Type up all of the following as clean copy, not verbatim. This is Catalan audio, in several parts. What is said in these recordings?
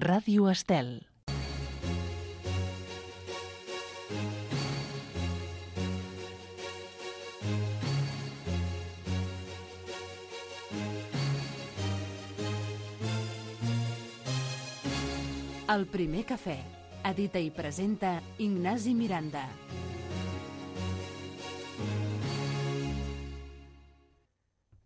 Ràdio Estel. El primer cafè. Edita i presenta Ignasi Miranda.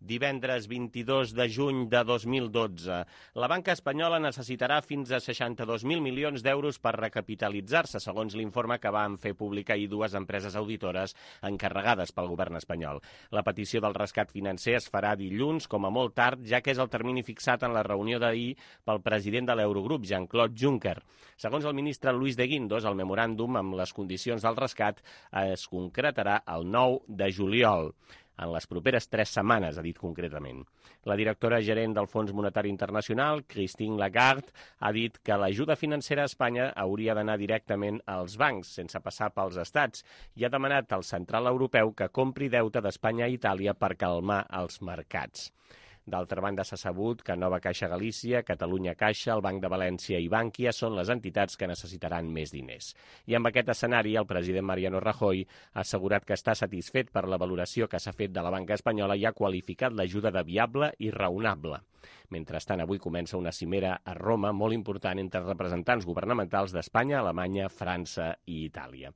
Divendres 22 de juny de 2012. La banca espanyola necessitarà fins a 62.000 milions d'euros per recapitalitzar-se, segons l'informe que van fer públic ahir dues empreses auditores encarregades pel govern espanyol. La petició del rescat financer es farà dilluns, com a molt tard, ja que és el termini fixat en la reunió d'ahir pel president de l'Eurogrup, Jean-Claude Juncker. Segons el ministre Luis de Guindos, el memoràndum amb les condicions del rescat es concretarà el 9 de juliol. En les properes 3 setmanes, ha dit concretament. La directora gerent del Fons Monetari Internacional, Christine Lagarde, ha dit que l'ajuda financera a Espanya hauria d'anar directament als bancs, sense passar pels estats, i ha demanat al Central Europeu que compri deute d'Espanya a Itàlia per calmar els mercats. D'altra banda, s'ha sabut que Nova Caixa Galícia, Catalunya Caixa, el Banc de València i Bànquia són les entitats que necessitaran més diners. I amb aquest escenari, el president Mariano Rajoy ha assegurat que està satisfet per la valoració que s'ha fet de la banca espanyola i ha qualificat l'ajuda de viable i raonable. Mentrestant, avui comença una cimera a Roma molt important entre representants governamentals d'Espanya, Alemanya, França i Itàlia.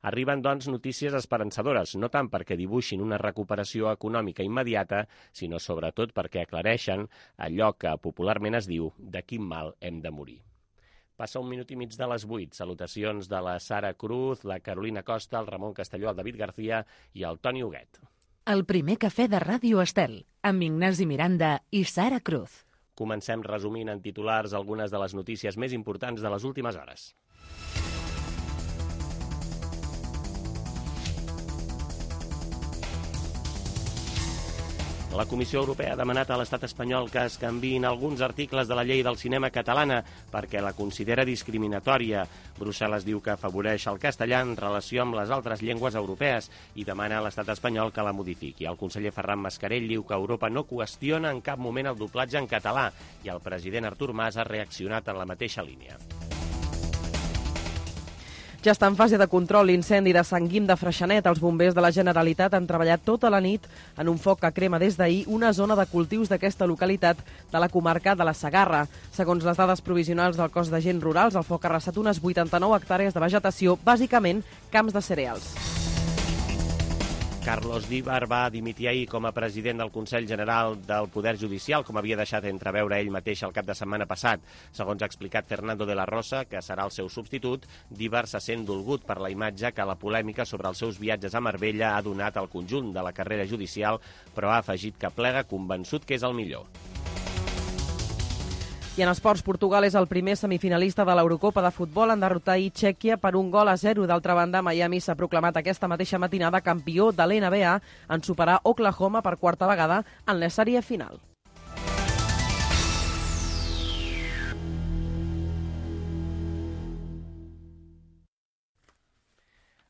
Arriben, doncs, notícies esperançadores, no tant perquè dibuixin una recuperació econòmica immediata, sinó sobretot perquè aclareixen allò que popularment es diu de quin mal hem de morir. Passa 1 minut i mig de les 8. Salutacions de la Sara Cruz, la Carolina Costa, el Ramon Castelló, el David García i el Toni Huguet. El primer cafè de Ràdio Estel, amb Ignasi Miranda i Sara Cruz. Comencem resumint en titulars algunes de les notícies més importants de les últimes hores. La Comissió Europea ha demanat a l'estat espanyol que es canviïn alguns articles de la llei del cinema catalana perquè la considera discriminatòria. Brussel·les diu que afavoreix el castellà en relació amb les altres llengües europees i demana a l'estat espanyol que la modifiqui. El conseller Ferran Mascarell diu que Europa no qüestiona en cap moment el doblatge en català i el president Artur Mas ha reaccionat en la mateixa línia. Ja està en fase de control l'incendi de Sant Guim de Freixenet. Els bombers de la Generalitat han treballat tota la nit en un foc que crema des d'ahir una zona de cultius d'aquesta localitat de la comarca de la Segarra. Segons les dades provisionals del cos d'agents rurals, el foc ha arrasat unes 89 hectàrees de vegetació, bàsicament camps de cereals. Carlos Díbar va dimitir ahir com a president del Consell General del Poder Judicial, com havia deixat entreveure ell mateix el cap de setmana passat. Segons ha explicat Fernando de la Rosa, que serà el seu substitut, Díbar se sent dolgut per la imatge que la polèmica sobre els seus viatges a Marbella ha donat al conjunt de la carrera judicial, però ha afegit que plega convençut que és el millor. I en esports, Portugal és el primer semifinalista de l'Eurocopa de futbol en derrotar ahir Txèquia per 1-0. D'altra banda, Miami s'ha proclamat aquesta mateixa matinada campió de l'NBA en superar Oklahoma per quarta vegada en la sèrie final.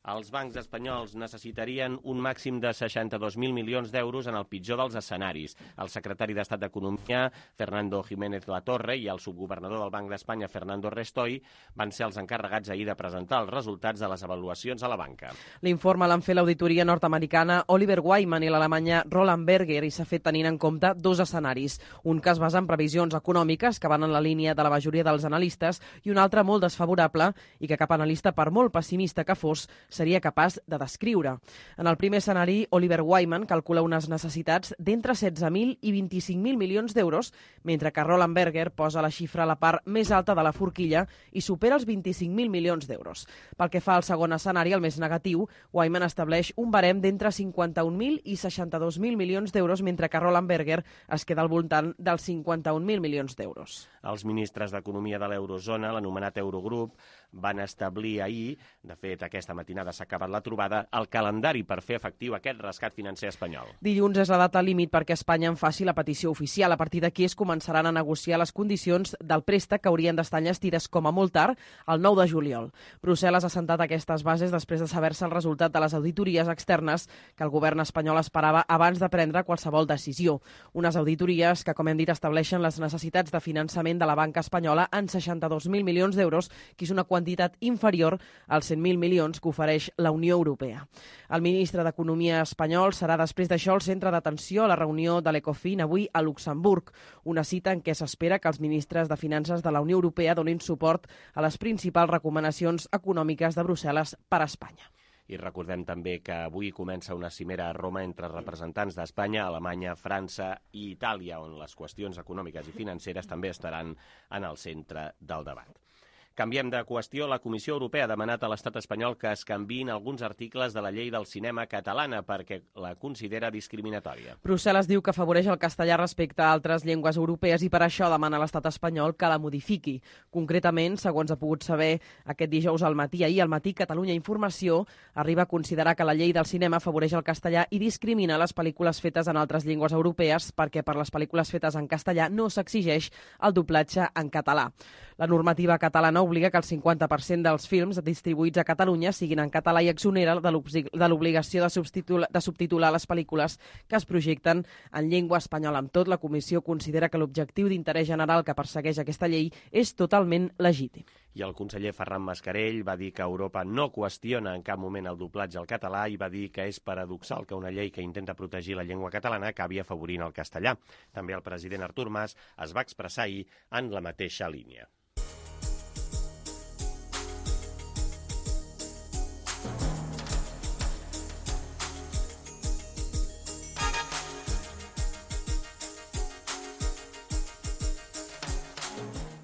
Els bancs espanyols necessitarien un màxim de 62.000 milions d'euros en el pitjor dels escenaris. El secretari d'Estat d'Economia, Fernando Jiménez Latorre, i el subgovernador del Banc d'Espanya, Fernando Restoy, van ser els encarregats ahir de presentar els resultats de les avaluacions a la banca. L'informe l'han fet l'auditoria nord-americana Oliver Wyman i l'alemanya Roland Berger i s'ha fet tenint en compte 2 escenaris. Un que es basa en previsions econòmiques que van en la línia de la majoria dels analistes i un altre molt desfavorable i que cap analista, per molt pessimista que fos, seria capaç de descriure. En el primer escenari, Oliver Wyman calcula unes necessitats d'entre 16.000 i 25.000 milions d'euros, mentre que Roland Berger posa la xifra a la part més alta de la forquilla i supera els 25.000 milions d'euros. Pel que fa al segon escenari, el més negatiu, Wyman estableix un barem d'entre 51.000 i 62.000 milions d'euros, mentre que Roland Berger es queda al voltant dels 51.000 milions d'euros. Els ministres d'Economia de l'Eurozona, l'anomenat Eurogrup, van establir ahir, de fet aquesta matinada, descontaminada s'ha acabat la trobada, el calendari per fer efectiu aquest rescat financer espanyol. Dilluns és la data límit perquè Espanya en faci la petició oficial. A partir d'aquí es començaran a negociar les condicions del préstec que haurien d'estar enllestides com a molt tard el 9 de juliol. Brussel·les ha assentat aquestes bases després de saber-se el resultat de les auditories externes que el govern espanyol esperava abans de prendre qualsevol decisió. Unes auditories que, com hem dit, estableixen les necessitats de finançament de la banca espanyola en 62.000 milions d'euros, que és una quantitat inferior als 100.000 milions que ofereix la Unió Europea. El ministre d'Economia espanyol serà després d'això el centre d'atenció a la reunió de l'Ecofin avui a Luxemburg, una cita en què s'espera que els ministres de Finances de la Unió Europea donin suport a les principals recomanacions econòmiques de Brussel·les per a Espanya. I recordem també que avui comença una cimera a Roma entre representants d'Espanya, Alemanya, França i Itàlia, on les qüestions econòmiques i financeres també estaran en el centre del debat. Canviem de qüestió. La Comissió Europea ha demanat a l'estat espanyol que es canviïn alguns articles de la llei del cinema catalana perquè la considera discriminatòria. Brussel·les diu que afavoreix el castellà respecte a altres llengües europees i per això demana a l'estat espanyol que la modifiqui. Concretament, segons ha pogut saber aquest dijous al matí, ahir al matí, Catalunya Informació arriba a considerar que la llei del cinema afavoreix el castellà i discrimina les pel·lícules fetes en altres llengües europees perquè per les pel·lícules fetes en castellà no s'exigeix el doblatge en català. La normativa catalana obliga que el 50% dels films distribuïts a Catalunya siguin en català i exonera de l'obligació de subtitular les pel·lícules que es projecten en llengua espanyola. Amb tot, la Comissió considera que l'objectiu d'interès general que persegueix aquesta llei és totalment legítim. I el conseller Ferran Mascarell va dir que Europa no qüestiona en cap moment el doblatge al català i va dir que és paradoxal que una llei que intenta protegir la llengua catalana acabi afavorint el castellà. També el president Artur Mas es va expressar ahir en la mateixa línia.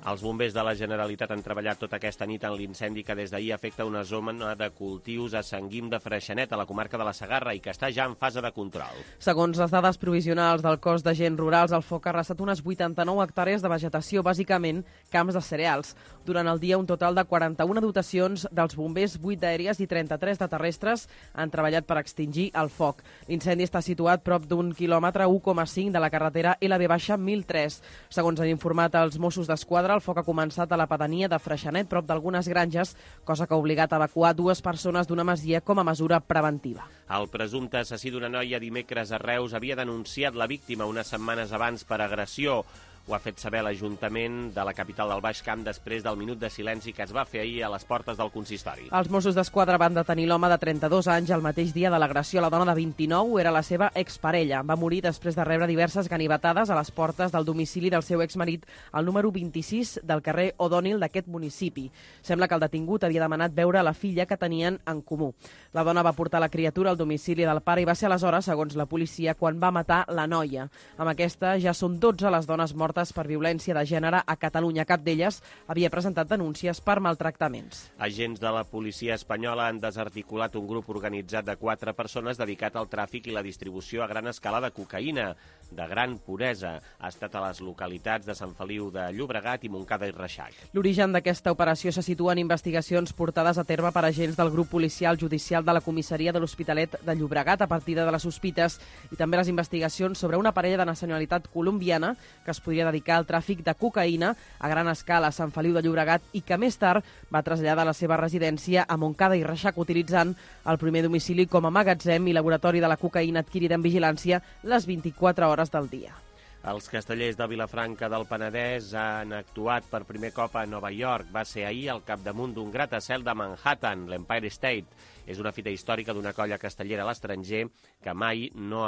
Els bombers de la Generalitat han treballat tota aquesta nit en l'incendi que des d'ahir afecta una zona de cultius a Sant Guim de Freixenet, a la comarca de la Segarra, i que està ja en fase de control. Segons les dades provisionals del cos d'agents rurals, el foc ha arrasat unes 89 hectàrees de vegetació, bàsicament camps de cereals. Durant el dia, un total de 41 dotacions dels bombers, 8 d'aèries i 33 de terrestres han treballat per extingir el foc. L'incendi està situat prop d'un quilòmetre 1,5 de la carretera LB-1003. Segons han informat els Mossos d'Esquadra, el foc ha començat a la pedania de Freixenet, prop d'algunes granges, cosa que ha obligat a evacuar 2 persones d'una masia com a mesura preventiva. El presumpte assassí d'una noia dimecres a Reus havia denunciat la víctima unes setmanes abans per agressió. Ho ha fet saber l'Ajuntament de la capital del Baix Camp després del minut de silenci que es va fer ahir a les portes del consistori. Els Mossos d'Esquadra van detenir l'home de 32 anys el mateix dia de l'agressió. La dona de 29 era la seva exparella. Va morir després de rebre diverses ganivetades a les portes del domicili del seu exmarit al número 26 del carrer O'Donnell d'aquest municipi. Sembla que el detingut havia demanat veure la filla que tenien en comú. La dona va portar la criatura al domicili del pare i va ser aleshores, segons la policia, quan va matar la noia. Amb aquesta ja són 12 les dones mortes per violència de gènere a Catalunya. Cap d'elles havia presentat denúncies per maltractaments. Agents de la policia espanyola han desarticulat un grup organitzat de 4 persones dedicat al tràfic i la distribució a gran escala de cocaïna de gran puresa. Ha estat a les localitats de Sant Feliu de Llobregat i Montcada i Reixac. L'origen d'aquesta operació se situa en investigacions portades a terme per agents del grup policial judicial de la comissaria de l'Hospitalet de Llobregat a partir de les sospites i també les investigacions sobre una parella de nacionalitat colombiana que es podria dedicar al tràfic de cocaïna a gran escala a Sant Feliu de Llobregat i que més tard va traslladar la seva residència a Montcada i Reixac utilitzant el primer domicili com a magatzem i laboratori de la cocaïna adquirida en vigilància les 24 hores del dia. Els castellers de Vilafranca del Penedès han actuat per primer cop a Nova York. Va ser ahir al capdamunt d'un gratacel de Manhattan, l'Empire State. És una fita històrica d'una colla castellera a l'estranger que mai no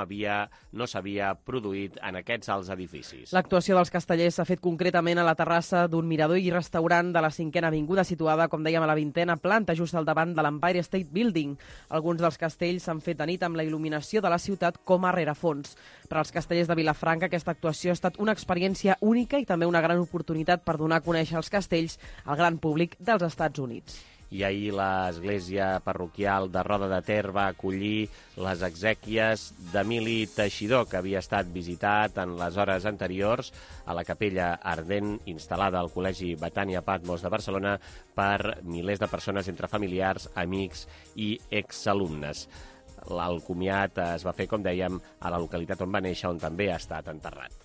s'havia produït en aquests alts edificis. L'actuació dels castellers s'ha fet concretament a la terrassa d'un mirador i restaurant de la 5a Avinguda, situada, com dèiem, a la 20a planta, just al davant de l'Empire State Building. Alguns dels castells s'han fet de nit amb la il·luminació de la ciutat com a rerefons. Per als castellers de Vilafranca, aquesta actuació ha estat una experiència única i també una gran oportunitat per donar a conèixer els castells al gran públic dels Estats Units. I ahir l'església parroquial de Roda de Ter va acollir les exèquies d'Emili Teixidor, que havia estat visitat en les hores anteriors a la capella ardent instal·lada al Col·legi Betània Patmos de Barcelona per milers de persones entre familiars, amics i exalumnes. El comiat es va fer, com dèiem, a la localitat on va néixer, on també ha estat enterrat.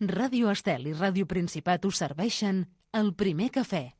Ràdio Estel i Ràdio Principat us serveixen el primer cafè.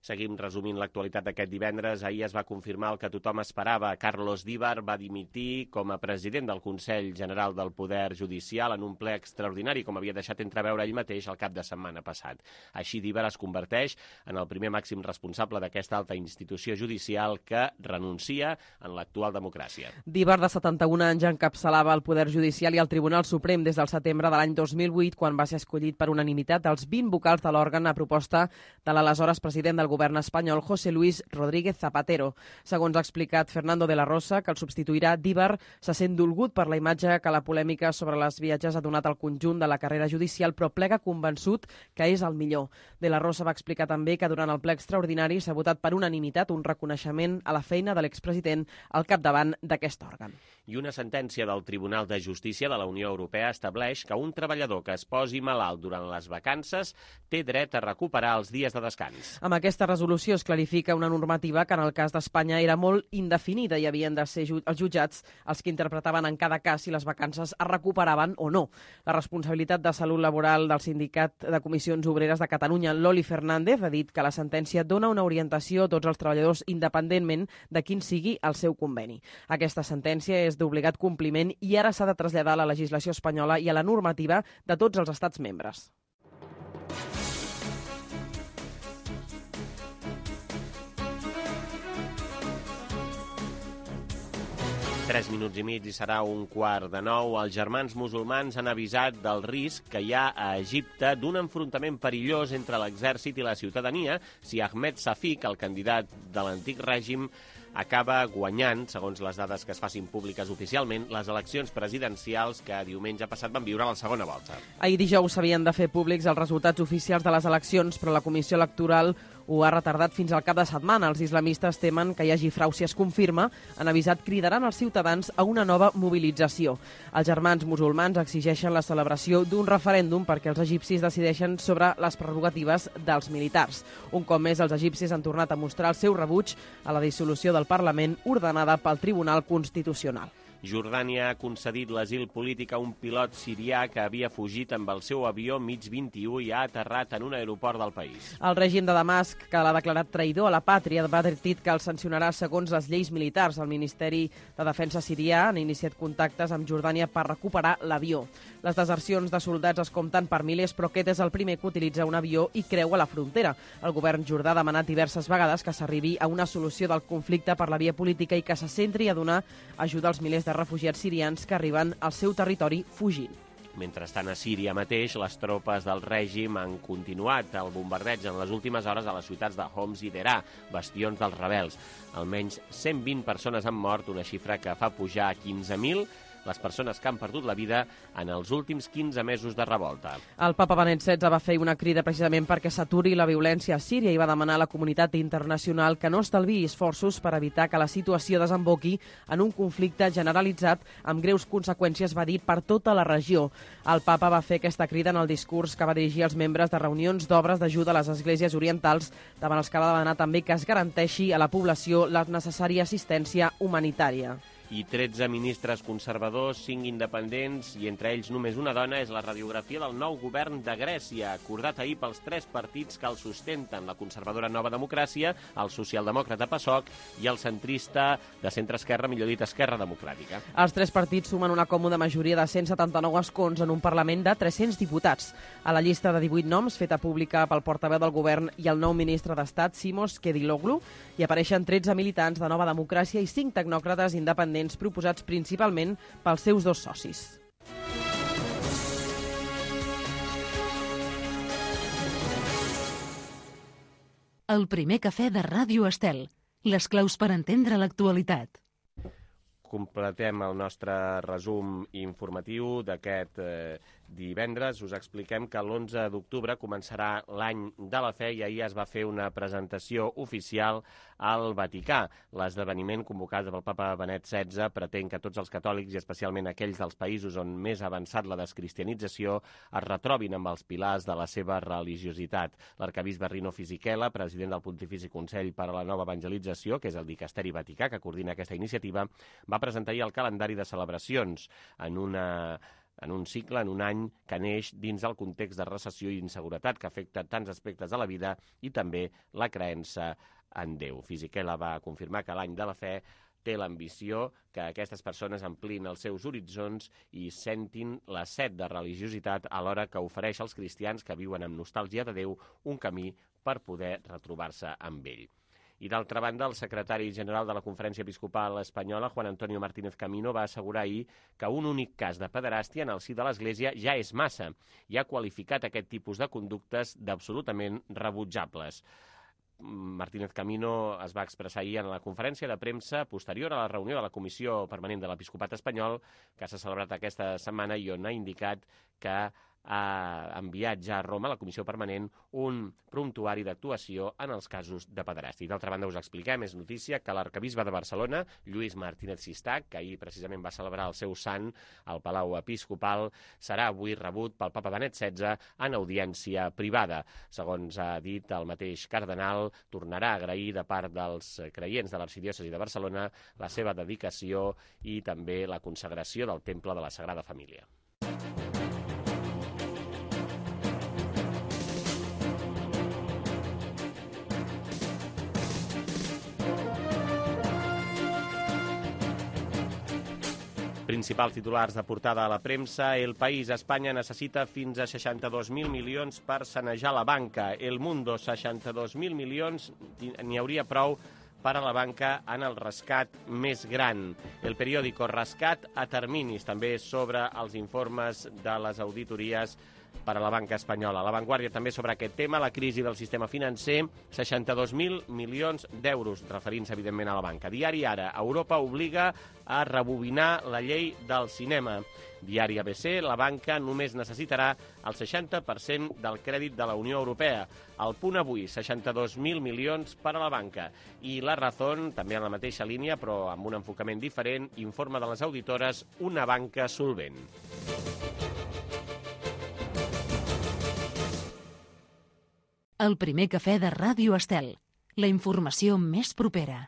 Seguim resumint l'actualitat d'aquest divendres. Ahir es va confirmar el que tothom esperava. Carlos Díbar va dimitir com a president del Consell General del Poder Judicial en un ple extraordinari, com havia deixat entreveure ell mateix el cap de setmana passat. Així, Díbar es converteix en el primer màxim responsable d'aquesta alta institució judicial que renuncia en l'actual democràcia. Díbar, de 71 anys, encapçalava el Poder Judicial i el Tribunal Suprem des del setembre de l'any 2008, quan va ser escollit per unanimitat dels 20 vocals de l'òrgan a proposta de l'aleshores president del govern espanyol, José Luis Rodríguez Zapatero. Segons ha explicat Fernando de la Rosa, que el substituirà, Díbar se sent dolgut per la imatge que la polèmica sobre les viatges ha donat al conjunt de la carrera judicial, però plega convençut que és el millor. De la Rosa va explicar també que durant el ple extraordinari s'ha votat per unanimitat un reconeixement a la feina de l'expresident al capdavant d'aquest òrgan. I una sentència del Tribunal de Justícia de la Unió Europea estableix que un treballador que es posi malalt durant les vacances té dret a recuperar els dies de descans. Amb aquesta resolució es clarifica una normativa que en el cas d'Espanya era molt indefinida i havien de ser els jutjats els que interpretaven en cada cas si les vacances es recuperaven o no. La responsabilitat de salut laboral del Sindicat de Comissions Obreres de Catalunya, Loli Fernández, ha dit que la sentència dona una orientació a tots els treballadors independentment de quin sigui el seu conveni. Aquesta sentència és d'obligat compliment i ara s'ha de traslladar a la legislació espanyola i a la normativa de tots els estats membres. Tres minuts i mig i serà 8:45. Els germans musulmans han avisat del risc que hi ha a Egipte d'un enfrontament perillós entre l'exèrcit i la ciutadania si Ahmed Safik, el candidat de l'antic règim, acaba guanyant, segons les dades que es facin públiques oficialment, les eleccions presidencials que diumenge passat van viure a la segona volta. Ahir dijous s'havien de fer públics els resultats oficials de les eleccions, però la Comissió Electoral ho ha retardat fins al cap de setmana. Els islamistes temen que hi hagi frau si es confirma. Han avisat cridaran els ciutadans a una nova mobilització. Els germans musulmans exigeixen la celebració d'un referèndum perquè els egipcis decideixen sobre les prerrogatives dels militars. Un cop més, els egipcis han tornat a mostrar el seu rebuig a la dissolució del Parlament ordenada pel Tribunal Constitucional. Jordània ha concedit l'asil polític a un pilot sirià que havia fugit amb el seu avió MiG-21 i ha aterrat en un aeroport del país. El règim de Damasc, que l'ha declarat traïdor a la pàtria, va advertit que el sancionarà segons les lleis militars. El Ministeri de Defensa sirià ha iniciat contactes amb Jordània per recuperar l'avió. Les desercions de soldats es compten per milers, però aquest és el primer que utilitza un avió i creua la frontera. El govern jordà ha demanat diverses vegades que s'arribi a una solució del conflicte per la via política i que se centri a donar ajuda als milers de refugiats sirians que arriben al seu territori fugint. Mentrestant, a Síria mateix, les tropes del règim han continuat el bombardeig en les últimes hores a les ciutats de Homs i Derà, bastions dels rebels. Almenys 120 persones han mort, una xifra que fa pujar a 15.000 les persones que han perdut la vida en els últims 15 mesos de revolta. El papa Benet XVI va fer una crida precisament perquè s'aturi la violència a Síria i va demanar a la comunitat internacional que no estalviï esforços per evitar que la situació desemboqui en un conflicte generalitzat amb greus conseqüències, va dir, per tota la regió. El papa va fer aquesta crida en el discurs que va dirigir als membres de reunions d'obres d'ajuda a les esglésies orientals, davant els que va demanar també que es garanteixi a la població la necessària assistència humanitària. I 13 ministres conservadors, 5 independents i entre ells només una dona és la radiografia del nou govern de Grècia, acordat ahir pels 3 partits que el sustenten, la conservadora Nova Democràcia, el socialdemòcrata PASOK i el centrista de centre-esquerra, millor dit, Esquerra Democràtica. Els 3 partits sumen una còmoda majoria de 179 escons en un Parlament de 300 diputats. A la llista de 18 noms, feta pública pel portaveu del govern i el nou ministre d'Estat, Simos Kediloglu, hi apareixen 13 militants de Nova Democràcia i 5 tecnòcrates independents proposats principalment pels seus 2 socis. El primer cafè de Ràdio Estel. Les claus per entendre l'actualitat. completem el nostre resum informatiu d'aquest divendres. Us expliquem que l'11 d'octubre començarà l'any de la fe i ahir es va fer una presentació oficial al Vaticà. L'esdeveniment convocat pel papa Benet XVI pretén que tots els catòlics, i especialment aquells dels països on més ha avançat la descristianització, es retrobin amb els pilars de la seva religiositat. L'arcabisbe Rino Fisichella, president del Pontifici Consell per a la Nova Evangelització, que és el dicasteri vaticà que coordina aquesta iniciativa, va presentar ahir el calendari de celebracions en un cicle, en un any que neix dins el context de recessió i inseguretat que afecta tants aspectes de la vida i també la creença en Déu. Fisichella va confirmar que l'any de la fe té l'ambició que aquestes persones amplin els seus horitzons i sentin la set de religiositat alhora que ofereix als cristians que viuen amb nostàlgia de Déu un camí per poder retrobar-se amb ell. I d'altra banda, el secretari general de la Conferència Episcopal Espanyola, Juan Antonio Martínez Camino, va assegurar ahir que un únic cas de pederàstia en el si de l'Església ja és massa i ha qualificat aquest tipus de conductes d'absolutament rebutjables. Martínez Camino es va expressar ahir en la conferència de premsa posterior a la reunió de la Comissió Permanent de l'Episcopat Espanyol que s'ha celebrat aquesta setmana i on ha indicat que ha enviat ja a Roma, la Comissió Permanent, un promptuari d'actuació en els casos de pederàstia. I d'altra banda us expliquem, és notícia, que l'arcabisbe de Barcelona, Lluís Martínez Sistac, que ahir precisament va celebrar el seu sant al Palau Episcopal, serà avui rebut pel papa Benet XVI en audiència privada. Segons ha dit el mateix cardenal, tornarà a agrair de part dels creients de l'arxidiòcesi de Barcelona la seva dedicació i també la consagració del Temple de la Sagrada Família. Principals titulars de portada a la premsa. El País, Espanya necessita fins a 62.000 milions per sanejar la banca. El Mundo, 62.000 milions, n'hi hauria prou per a la banca en el rescat més gran. El periòdico, rescat a terminis, també sobre els informes de les auditories per a la banca espanyola. La Vanguardia també sobre aquest tema, la crisi del sistema financer, 62.000 milions d'euros, referint-se evidentment a la banca. Diari Ara, Europa obliga a rebobinar la llei del cinema. Diari ABC, la banca només necessitarà el 60% del crèdit de la Unió Europea. El Punt Avui, 62.000 milions per a la banca. I La Razón, també en la mateixa línia, però amb un enfocament diferent, informa de les auditores una banca solvent. El primer cafè de Ràdio Estel. La informació més propera.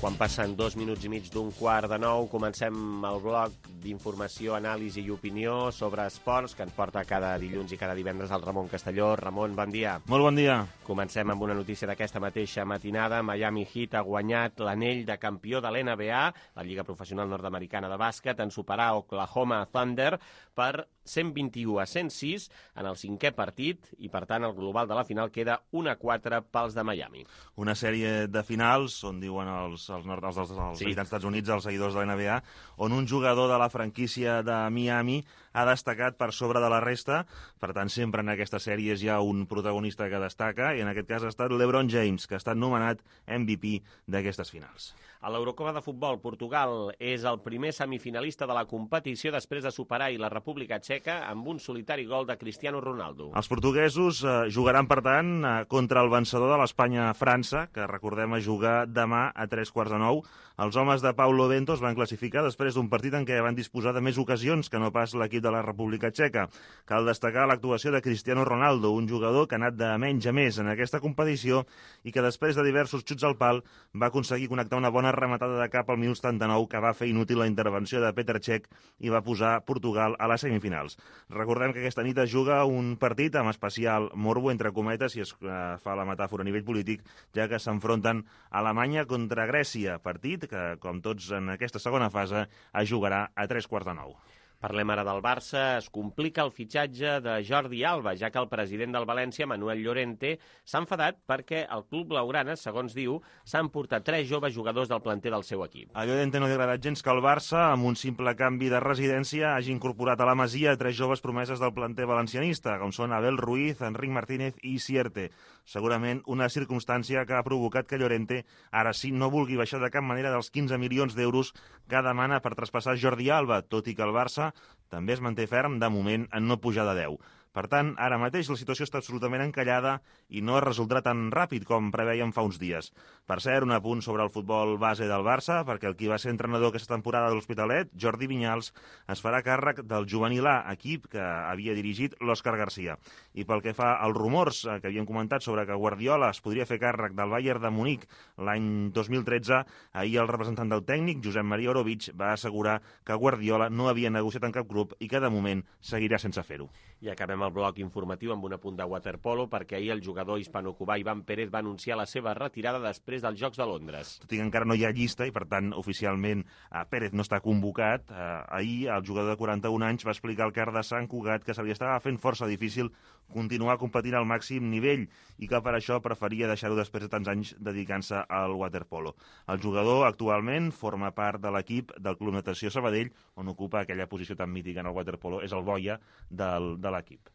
Quan passen 2 minuts i mig d'un quart de 9, comencem el bloc d'informació, anàlisi i opinió sobre esports que ens porta cada dilluns i cada divendres el Ramon Castelló. Ramon, bon dia. Molt bon dia. Comencem amb una notícia d'aquesta mateixa matinada. Miami Heat ha guanyat l'anell de campió de l'NBA, la Lliga Professional Nord-Americana de Bàsquet, en superar Oklahoma Thunder per 121-106 en el 5è partit i, per tant, el global de la final queda 1-4 pels de Miami. Una sèrie de finals on diuen els habitants dels Estats Units, els seguidors de la NBA, on un jugador de la franquícia de Miami ha destacat per sobre de la resta. Per tant, sempre en aquestes sèries hi ha un protagonista que destaca, i en aquest cas ha estat LeBron James, que ha estat nomenat MVP d'aquestes finals. A l'Eurocopa de futbol, Portugal és el primer semifinalista de la competició després de superar la República Txeca amb un solitari gol de Cristiano Ronaldo. Els portuguesos jugaran, per tant, contra el vencedor de l'Espanya-França, que recordem a jugar demà a 8:45. Els homes de Paulo Bento es van classificar després d'un partit en què van disposar de més ocasions que no pas l'equip de la República Txeca. Cal destacar l'actuació de Cristiano Ronaldo, un jugador que ha anat de menys a més en aquesta competició i que després de diversos xuts al pal va aconseguir connectar una bona rematada de cap al minut 79 que va fer inútil la intervenció de Petr Cech i va posar Portugal a les semifinals. Recordem que aquesta nit es juga un partit amb especial morbo, entre cometes, si es fa la metàfora a nivell polític, ja que s'enfronten Alemanya contra Grècia, partit que, com tots en aquesta segona fase, es jugarà a 8:45. Parlem ara del Barça. Es complica el fitxatge de Jordi Alba, ja que el president del València, Manuel Llorente, s'ha enfadat perquè el club blaugrana, segons diu, s'han portat 3 joves jugadors del planter del seu equip. A Llorente no li ha agradat gens que el Barça, amb un simple canvi de residència, hagi incorporat a la Masia 3 joves promeses del planter valencianista, com són Abel Ruiz, Enric Martínez i Sierte. Segurament una circumstància que ha provocat que Llorente ara sí no vulgui baixar de cap manera dels 15 milions d'euros que demana per traspassar Jordi Alba, tot i que el Barça també es manté ferm, de moment, en no pujar de 10. Per tant, ara mateix la situació està absolutament encallada i no es resoldrà tan ràpid com preveiem fa uns dies. Per cert, un apunt sobre el futbol base del Barça, perquè el qui va ser entrenador aquesta temporada de l'Hospitalet, Jordi Vinyals, es farà càrrec del juvenil A, equip que havia dirigit l'Òscar Garcia. I pel que fa als rumors que havíem comentat sobre que Guardiola es podria fer càrrec del Bayern de Munic l'any 2013, ahir el representant del tècnic, Josep Maria Orovic, va assegurar que Guardiola no havia negociat en cap club i que de moment seguirà sense fer-ho. I acabem el bloc informatiu amb un apunt de waterpolo, perquè ahir el jugador hispano-cubà Iván Pérez va anunciar la seva retirada després dels Jocs de Londres. Tot i que encara no hi ha llista i, per tant, oficialment Pérez no està convocat, ahir el jugador de 41 anys va explicar al Car de Sant Cugat que se li estava fent força difícil continuar competint al màxim nivell i que per això preferia deixar-ho després de tants anys dedicant-se al waterpolo. El jugador actualment forma part de l'equip del Club Natació Sabadell, on ocupa aquella posició tan mítica en el waterpolo, és el boia de l'equip.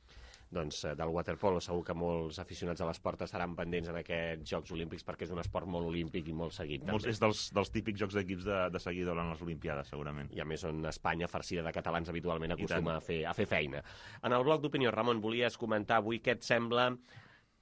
Doncs del waterpolo segur que molts aficionats a l'esport estaran pendents en aquests Jocs Olímpics, perquè és un esport molt olímpic i molt seguit. També. És dels típics jocs d'equips de seguir durant les Olimpiades, segurament. I a més on Espanya, farcida de catalans, habitualment acostuma a fer feina. En el bloc d'opinió, Ramon, volies comentar avui què et sembla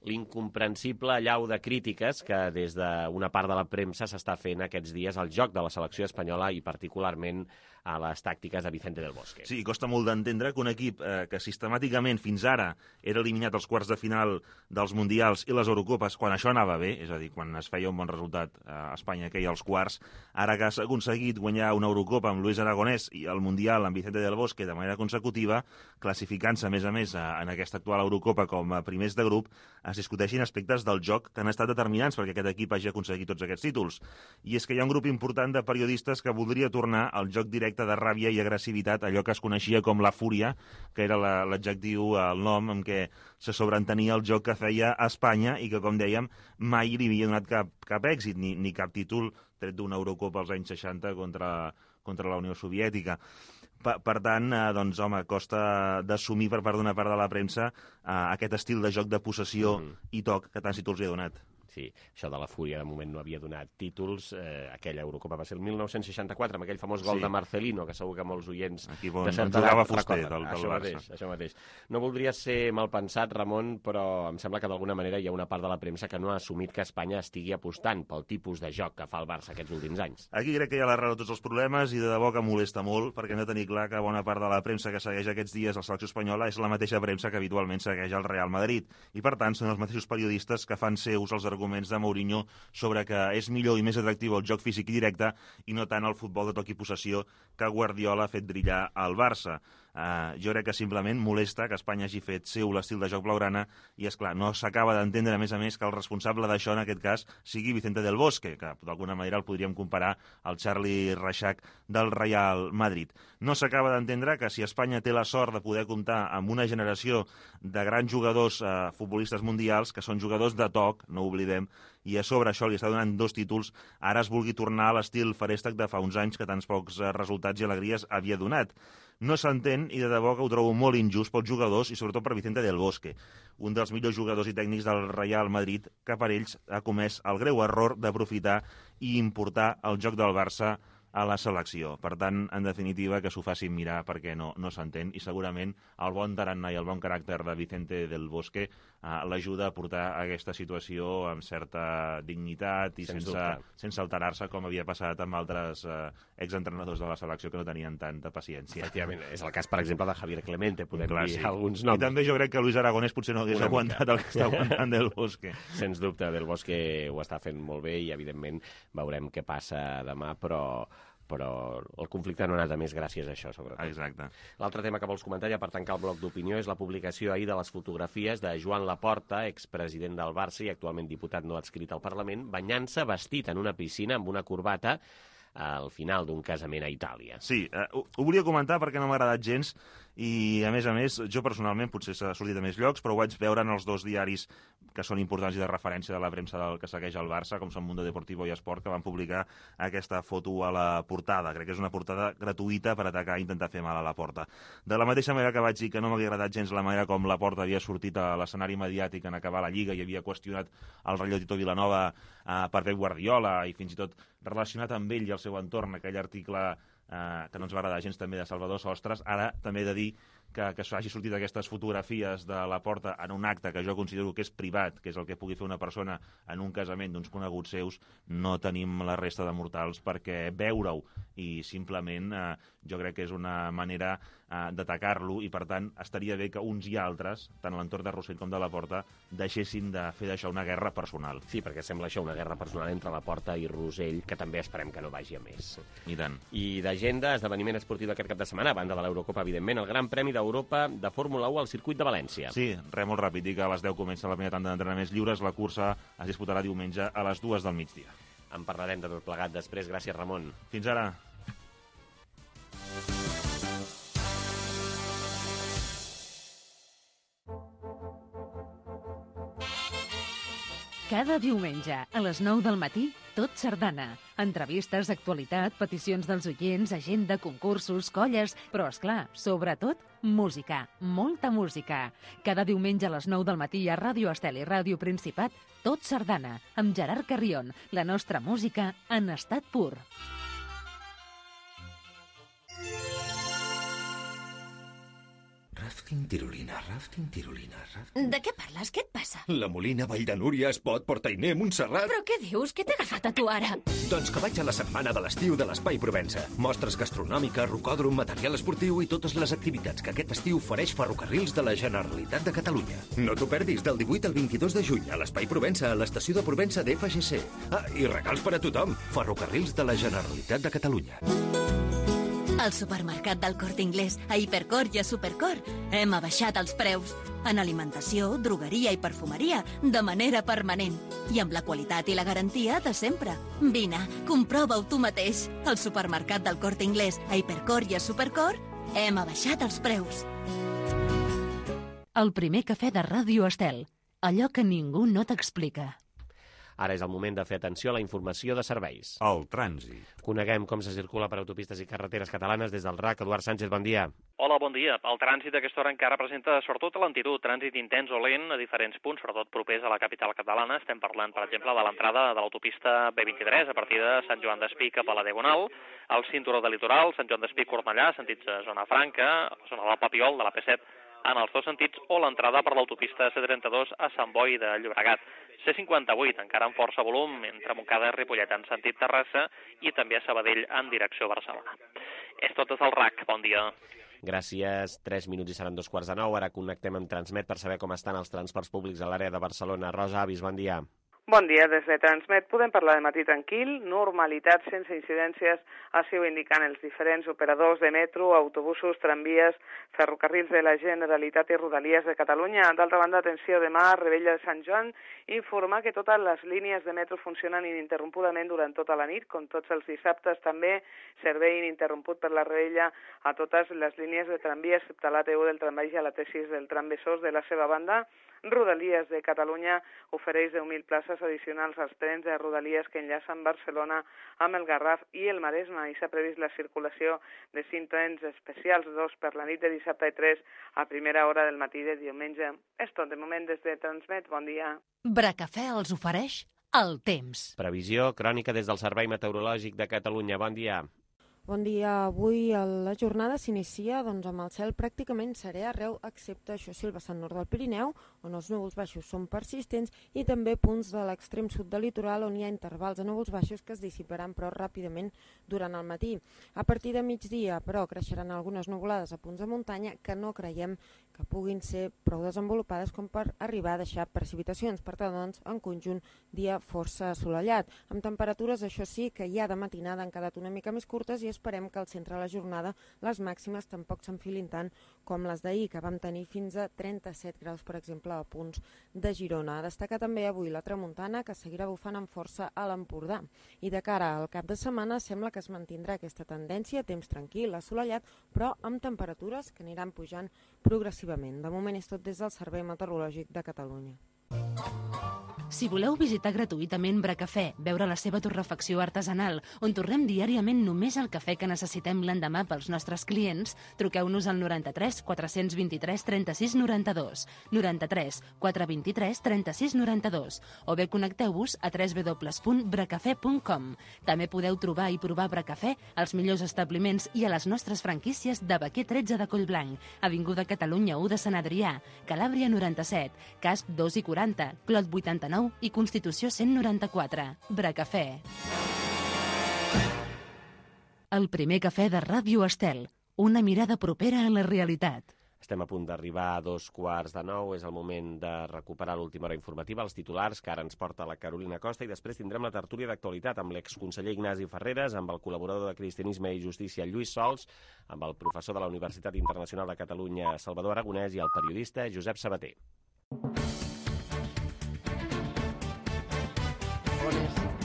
l'incomprensible allau de crítiques que des d'una part de la premsa s'està fent aquests dies al joc de la selecció espanyola i particularment a les tàctiques de Vicente del Bosque. Sí, costa molt d'entendre que un equip que sistemàticament fins ara era eliminat als quarts de final dels Mundials i les Eurocopes, quan això anava bé, és a dir, quan es feia un bon resultat a Espanya que hi ha als quarts, ara que s'ha aconseguit guanyar una Eurocopa amb Luis Aragonès i el Mundial amb Vicente del Bosque de manera consecutiva, classificant-se, a més, en aquesta actual Eurocopa com a primers de grup, es discuteixin aspectes del joc que han estat determinants perquè aquest equip hagi aconseguit tots aquests títols. I és que hi ha un grup important de periodistes que voldria tornar al joc directe de ràbia i agressivitat, allò que es coneixia com la fúria, que era l'adjectiu, el nom amb què se sobreentenia el joc que feia a Espanya i que, com dèiem, mai li havia donat cap èxit, ni cap títol, tret d'una Eurocopa als anys 60 contra la Unió Soviètica. Per tant, doncs, home, costa d'assumir per part d'una part de la premsa aquest estil de joc de possessió i toc que tants títols li ha donat. Sí, això de la fúria de moment no havia donat títols. Aquella Eurocopa va ser el 1964, amb aquell famós gol de Marcelino, que segur que molts oients aquí de certa edat recorden. Això mateix. No voldria ser mal pensat, Ramon, però em sembla que d'alguna manera hi ha una part de la premsa que no ha assumit que Espanya estigui apostant pel tipus de joc que fa el Barça aquests últims anys. Aquí crec que hi ha l'arrel de tots els problemes i de debò que molesta molt, perquè hem de tenir clar que bona part de la premsa que segueix aquests dies la selecció espanyola és la mateixa premsa que habitualment segueix el Real Madrid. I, per tant, són els mateixos periodistes que fan seus els arguments de Mourinho sobre que és millor i més atractiu el joc físic i directe i no tant el futbol de toc i possessió que Guardiola ha fet brillar al Barça. Jo crec que simplement molesta que Espanya hagi fet seu l'estil de joc blaugrana i, esclar, no s'acaba d'entendre, a més, que el responsable d'això, en aquest cas, sigui Vicente del Bosque, que d'alguna manera el podríem comparar al Charlie Reixac del Real Madrid. No s'acaba d'entendre que si Espanya té la sort de poder comptar amb una generació de grans jugadors futbolistes mundials, que són jugadors de toc, no ho oblidem, i a sobre això li està donant 2 títols, ara es vulgui tornar a l'estil feréstec de fa uns anys que tants pocs resultats i alegries havia donat. No s'entén i de debò que ho trobo molt injust pels jugadors i sobretot per Vicente del Bosque, un dels millors jugadors i tècnics del Real Madrid, que per ells ha comès el greu error d'aprofitar i importar el joc del Barça a la selecció. Per tant, en definitiva, que s'ho facin mirar perquè no s'entén i segurament el bon tarannà i el bon caràcter de Vicente del Bosque l'ajuda a portar aquesta situació amb certa dignitat i sense alterar-se com havia passat amb altres exentrenadors de la selecció que no tenien tanta paciència. Efectivament, és el cas, per exemple, de Javier Clemente, podem dir alguns noms. I també jo crec que Luis Aragonès potser no hagués aguantat el que està aguantant del Bosque. Sens dubte, del Bosque ho està fent molt bé i, evidentment, veurem què passa demà, però el conflicte no ha anat a més gràcies a això, sobretot. Exacte. L'altre tema que vols comentar, ja per tancar el bloc d'opinió, és la publicació ahir de les fotografies de Joan Laporta, expresident del Barça i actualment diputat no adscrit al Parlament, banyant-se vestit en una piscina amb una corbata al final d'un casament a Itàlia. Sí, ho volia comentar perquè no m'ha agradat gens i, a més, jo personalment, potser s'ha sortit a més llocs, però ho vaig veure en els dos diaris que són importants i de referència de la premsa del que segueix el Barça, com són Mundo Deportivo i Esport, que van publicar aquesta foto a la portada. Crec que és una portada gratuïta per atacar i intentar fer mal a Laporta. De la mateixa manera que vaig dir que no m'havia agradat gens la manera com Laporta havia sortit a l'escenari mediàtic en acabar la Lliga i havia qüestionat el relleu Tito Vilanova per Pep Guardiola i fins i tot relacionat amb ell i el seu entorn, aquell article que no ens va agradar gens també de Salvador Sostres. Ara també he de dir que hagi sortit aquestes fotografies de Laporta en un acte que jo considero que és privat, que és el que pugui fer una persona en un casament d'uns coneguts seus, no tenim la resta de mortals perquè veure-ho i simplement jo crec que és una manera d'atacar-lo i per tant estaria bé que uns i altres, tant a l'entorn de Rossell com de Laporta, deixessin de fer d'això una guerra personal. Sí, perquè sembla això una guerra personal entre Laporta i Rossell, que també esperem que no vagi a més. I tant. I d'agenda, esdeveniment esportiu d'aquest cap de setmana, a banda de l'Eurocopa, evidentment, el Gran Premi d'Europa de Fórmula 1 al circuit de València. Sí, res molt ràpid, dic que a les 10 comença la primera tanda d'entrenaments lliures, la cursa es disputarà diumenge a les 2 del migdia. En parlarem de tot plegat després. Gràcies, Ramon. Fins ara. Cada diumenge, a les 9 del matí, Tot Sardana. Entrevistes, actualitat, peticions dels oients, agenda, concursos, colles, però, esclar, sobretot, música. Molta música. Cada diumenge a les 9 del matí a Ràdio Estel i Ràdio Principat, Tot Sardana, amb Gerard Carrion, la nostra música en estat pur. Rafting, tirolina, rafting, tirolina, rafting... De què parles? Què et passa? La Molina, Vall de Núria, Espot, Portainer, Montserrat... Però què dius? Què t'ha agafat a tu ara? Doncs que vaig a la setmana de l'estiu de l'Espai Provença. Mostres gastronòmica, rocòdrom, material esportiu i totes les activitats que aquest estiu ofereix Ferrocarrils de la Generalitat de Catalunya. No t'ho perdis del 18 al 22 de juny a l'Espai Provença, a l'estació de Provença d'FGC. Ah, i regals per a tothom. Ferrocarrils de la Generalitat de Catalunya. Al supermercat del Corte Inglés, a Hipercor i a Supercor, hem abaixat els preus. En alimentació, drogueria i perfumeria, de manera permanent. I amb la qualitat i la garantia de sempre. Vine, comprova-ho tu mateix. Al supermercat del Corte Inglés, a Hipercor i a Supercor, hem abaixat els preus. El primer cafè de Ràdio Estel. Allò que ningú no t'explica. Ara és el moment de fer atenció a la informació de serveis. El trànsit. Coneguem com se circula per autopistes i carreteres catalanes des del RAC. Eduard Sánchez, bon dia. Hola, bon dia. El trànsit a aquesta hora encara presenta sobretot lentitud, trànsit intens o lent a diferents punts, sobretot propers a la capital catalana. Estem parlant, per exemple, de l'entrada de l'autopista B23 a partir de Sant Joan d'Espí cap a la Diagonal, el cinturó de litoral, Sant Joan d'Espí-Cornellà, sentits a Zona Franca, zona del Papiol, de la P7, en els dos sentits, o l'entrada per l'autopista C32 a Sant Boi de Llobregat. C58, encara amb força volum, entre Montcada i Ripollet en sentit Terrassa i també a Sabadell en direcció Barcelona. És tot des del RAC. Bon dia. Gràcies. 3 minuts i seran 2:45. Ara connectem amb Transmet per saber com estan els transports públics a l'àrea de Barcelona. Rosa Avis, bon dia. Bon dia, des de Transmet podem parlar de matí tranquil, normalitat sense incidències, així ho indiquen els diferents operadors de metro, autobusos, tramvies, ferrocarrils de la Generalitat i Rodalies de Catalunya. D'altra banda, atenció, demà, Rebella de Sant Joan, informa que totes les línies de metro funcionen ininterrompudament durant tota la nit, com tots els dissabtes també, servei ininterromput per la Rebella a totes les línies de tramvia, excepte la T1 del trambaix i a la T6 del tram Besòs. De la seva banda, Rodalies de Catalunya ofereix 10.000 places addicionals als trens de Rodalies que enllacen Barcelona amb el Garraf i el Maresme, i s'ha previst la circulació de 5 trens especials, 2 per la nit de dissabte i 3 a primera hora del matí de diumenge. És tot de moment des de Transmet. Bon dia. Bracafè els ofereix el temps. Previsió crònica des del Servei Meteorològic de Catalunya. Bon dia. Bon dia. Avui la jornada s'inicia amb el cel pràcticament serè arreu, excepte, això sí, el vessant nord del Pirineu, on els núvols baixos són persistents, i també punts de l'extrem sud del litoral, on hi ha intervals de núvols baixos que es dissiparan però ràpidament durant el matí. A partir de migdia, però, creixeran algunes nuvolades a punts de muntanya que no creiem que puguin ser prou desenvolupades com per arribar a deixar precipitacions. Per tant, doncs, en conjunt, dia força assolellat. Amb temperatures, això sí, que ja de matinada han quedat una mica més curtes i esperem que al centre de la jornada les màximes tampoc s'enfilin tant com les d'ahir, que vam tenir fins a 37 graus, per exemple, a punts de Girona. Destaca també avui la tramuntana, que seguirà bufant amb força a l'Empordà. I de cara al cap de setmana sembla que es mantindrà aquesta tendència, temps tranquil, assolellat, però amb temperatures que aniran pujant progressivament. De moment és tot des del Servei Meteorològic de Catalunya. Si voleu visitar gratuïtament Bracafè, veure la seva torrefacció artesanal, on torrem diàriament només el cafè que necessitem l'endemà pels nostres clients, truqueu-nos al 93 423 36 92, 93 423 36 92, o bé connecteu-vos a www.bracafè.com. També podeu trobar i provar Bracafè als millors establiments i a les nostres franquícies de Baquer 13 de Collblanc, Avinguda Catalunya 1 de Sant Adrià, Calàbria 97, Casp 2 i 40, Clot 89 i Constitució 194. Bracafè. El primer cafè de Ràdio Estel. Una mirada propera a la realitat. Estem a punt d'arribar a 8:45. És el moment de recuperar l'última hora informativa, els titulars, que ara ens porta la Carolina Costa, i després tindrem la tertúlia d'actualitat amb l'exconseller Ignasi Ferreres, amb el col·laborador de Cristianisme i Justícia Lluís Sols, amb el professor de la Universitat Internacional de Catalunya Salvador Aragonès i el periodista Josep Sabater.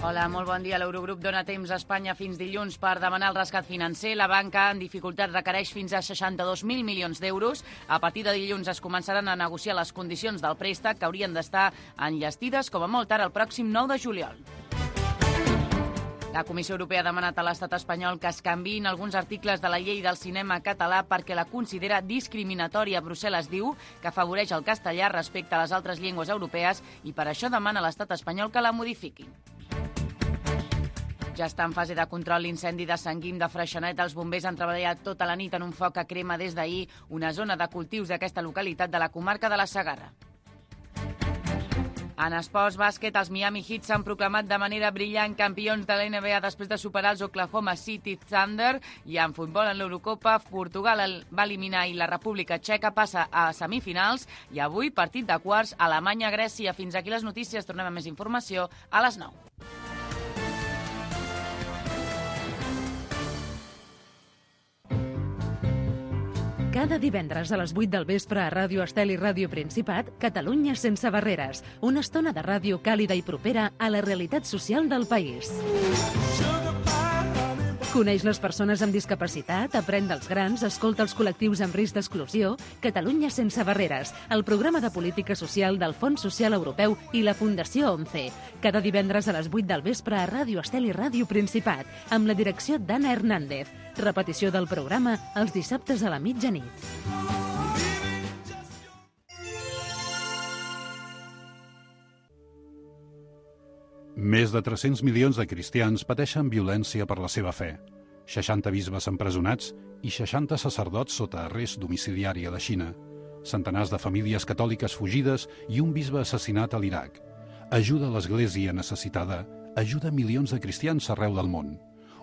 Hola, molt bon dia. L'Eurogrup dona temps a Espanya fins dilluns per demanar el rescat financer. La banca en dificultat requereix fins a 62.000 milions d'euros. A partir de dilluns es començaran a negociar les condicions del préstec, que haurien d'estar enllestides com a molt tard el pròxim 9 de juliol. La Comissió Europea ha demanat a l'estat espanyol que es canviïn alguns articles de la llei del cinema català perquè la considera discriminatòria. Brussel·les diu que afavoreix el castellà respecte a les altres llengües europees i per això demana a l'estat espanyol que la modifiqui. Ja està en fase de control l'incendi de Sant Guim de Freixenet. Els bombers han treballat tota la nit en un foc que crema des d'ahir una zona de cultius d'aquesta localitat de la comarca de la Segarra. En esports bàsquet, els Miami Heat s'han proclamat de manera brillant campions de la NBA després de superar els Oklahoma City Thunder, i en futbol en l'Eurocopa, Portugal va eliminar i la República Txeca passa a semifinals, i avui partit de quarts Alemanya-Grècia. Fins aquí les notícies, tornem amb més informació a les 9. Cada divendres a les 8 del vespre a Ràdio Estel i Ràdio Principat, Catalunya sense barreres. Una estona de ràdio càlida i propera a la realitat social del país. Coneix les persones amb discapacitat, aprèn dels grans, escolta els col·lectius amb risc d'exclusió. Catalunya sense barreres, el programa de política social del Fons Social Europeu i la Fundació ONCE. Cada divendres a les 8 del vespre a Ràdio Estel i Ràdio Principat, amb la direcció d'Anna Hernández. Repetició del programa els dissabtes a la mitjanit. Més de 300 milions de cristians pateixen violència per la seva fe. 60 bisbes empresonats i 60 sacerdots sota arrest domiciliari a la Xina. Centenars de famílies catòliques fugides i un bisbe assassinat a l'Iraq. Ajuda a l'Església necessitada, ajuda milions de cristians arreu del món.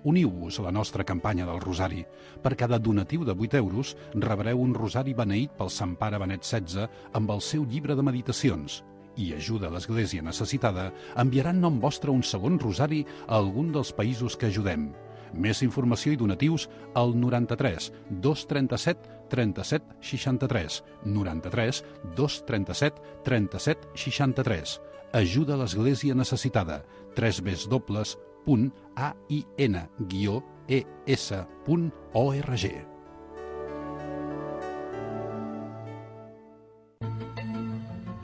Uniu-vos a la nostra campanya del Rosari. Per cada donatiu de 8 euros rebreu un rosari beneït pel Sant Pare Benet XVI amb el seu llibre de meditacions. I ajuda a l'Església necessitada enviarà en nom vostre un segon rosari a algun dels països que ajudem. Més informació i donatius al 93 237 37 63. 93 237 37 63. Ajuda a l'Església necessitada. www.ain-es.org.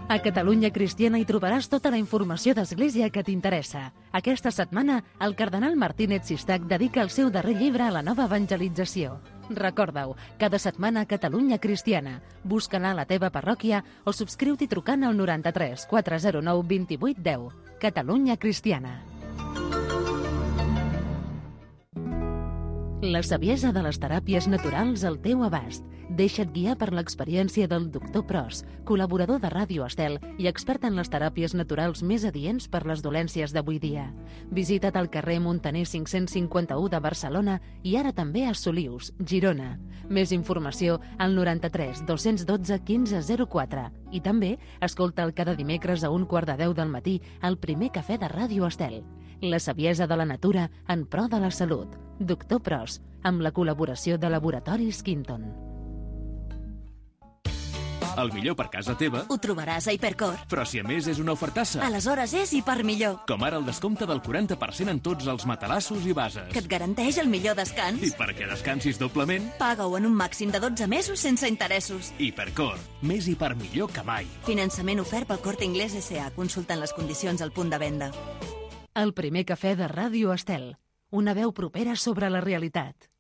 A Catalunya Cristiana hi trobaràs tota la informació d'Església que t'interessa. Aquesta setmana, el cardenal Martínez Sistac dedica el seu darrer llibre a la nova evangelització. Recorda-ho, cada setmana a Catalunya Cristiana. Busca-la a la teva parròquia o subscriu-t'hi trucant al 93 409 28 10. Catalunya Cristiana. La saviesa de les teràpies naturals al teu abast. Deixa't guiar per l'experiència del Dr. Pros, col·laborador de Ràdio Estel i expert en les teràpies naturals més adients per les dolències d'avui dia. Visita't al carrer Montaner 551 de Barcelona i ara també a Solius, Girona. Més informació al 93 212 1504 i també escolta'l cada dimecres a 9:15 del matí al primer cafè de Ràdio Estel. La saviesa de la natura en pro de la salut. Dr. Pros, amb la col·laboració de Laboratoris Quinton. El millor per casa teva... Ho trobaràs a Hipercor. Però si a més és una ofertassa. Aleshores és Hipermillor. Com ara el descompte del 40% en tots els matalassos i bases. Que et garanteix el millor descans. I perquè descansis doblement... Paga-ho en un màxim de 12 mesos sense interessos. Hipercor. Més Hipermillor que mai. Finançament ofert pel Corte Inglés S.A. Consultant les condicions al punt de venda. El primer cafè de Ràdio Estel. Una veu propera sobre la realitat.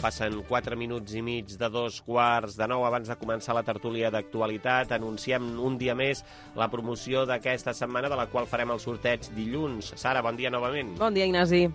Passen 4 minuts i mig de 8:45. Abans de començar la tertúlia d'actualitat, anunciem un dia més la promoció d'aquesta setmana, de la qual farem el sorteig dilluns. Sara, bon dia novament. Bon dia, Ignasi.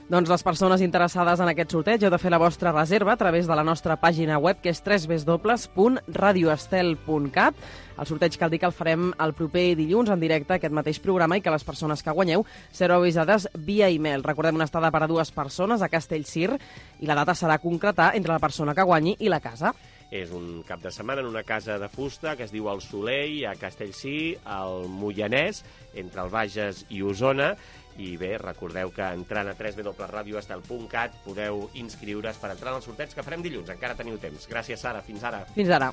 Doncs les persones interessades en aquest sorteig heu de fer la vostra reserva a través de la nostra pàgina web, que és www.radioestel.cat. El sorteig cal dir que el farem el proper dilluns en directe, aquest mateix programa, i que les persones que guanyeu sereu avisades via e-mail. Recordem, una estada per a 2 persones a Castellcir i la data serà concretar entre la persona que guanyi i la casa. És un cap de setmana en una casa de fusta que es diu El Soleil, a Castellcir, al Moianès, entre el Bages i Osona. I bé, recordeu que entrant a www.radioestel.cat podeu inscriure's per entrar en el sorteig que farem dilluns. Encara teniu temps. Gràcies, Sara. Fins ara. Fins ara.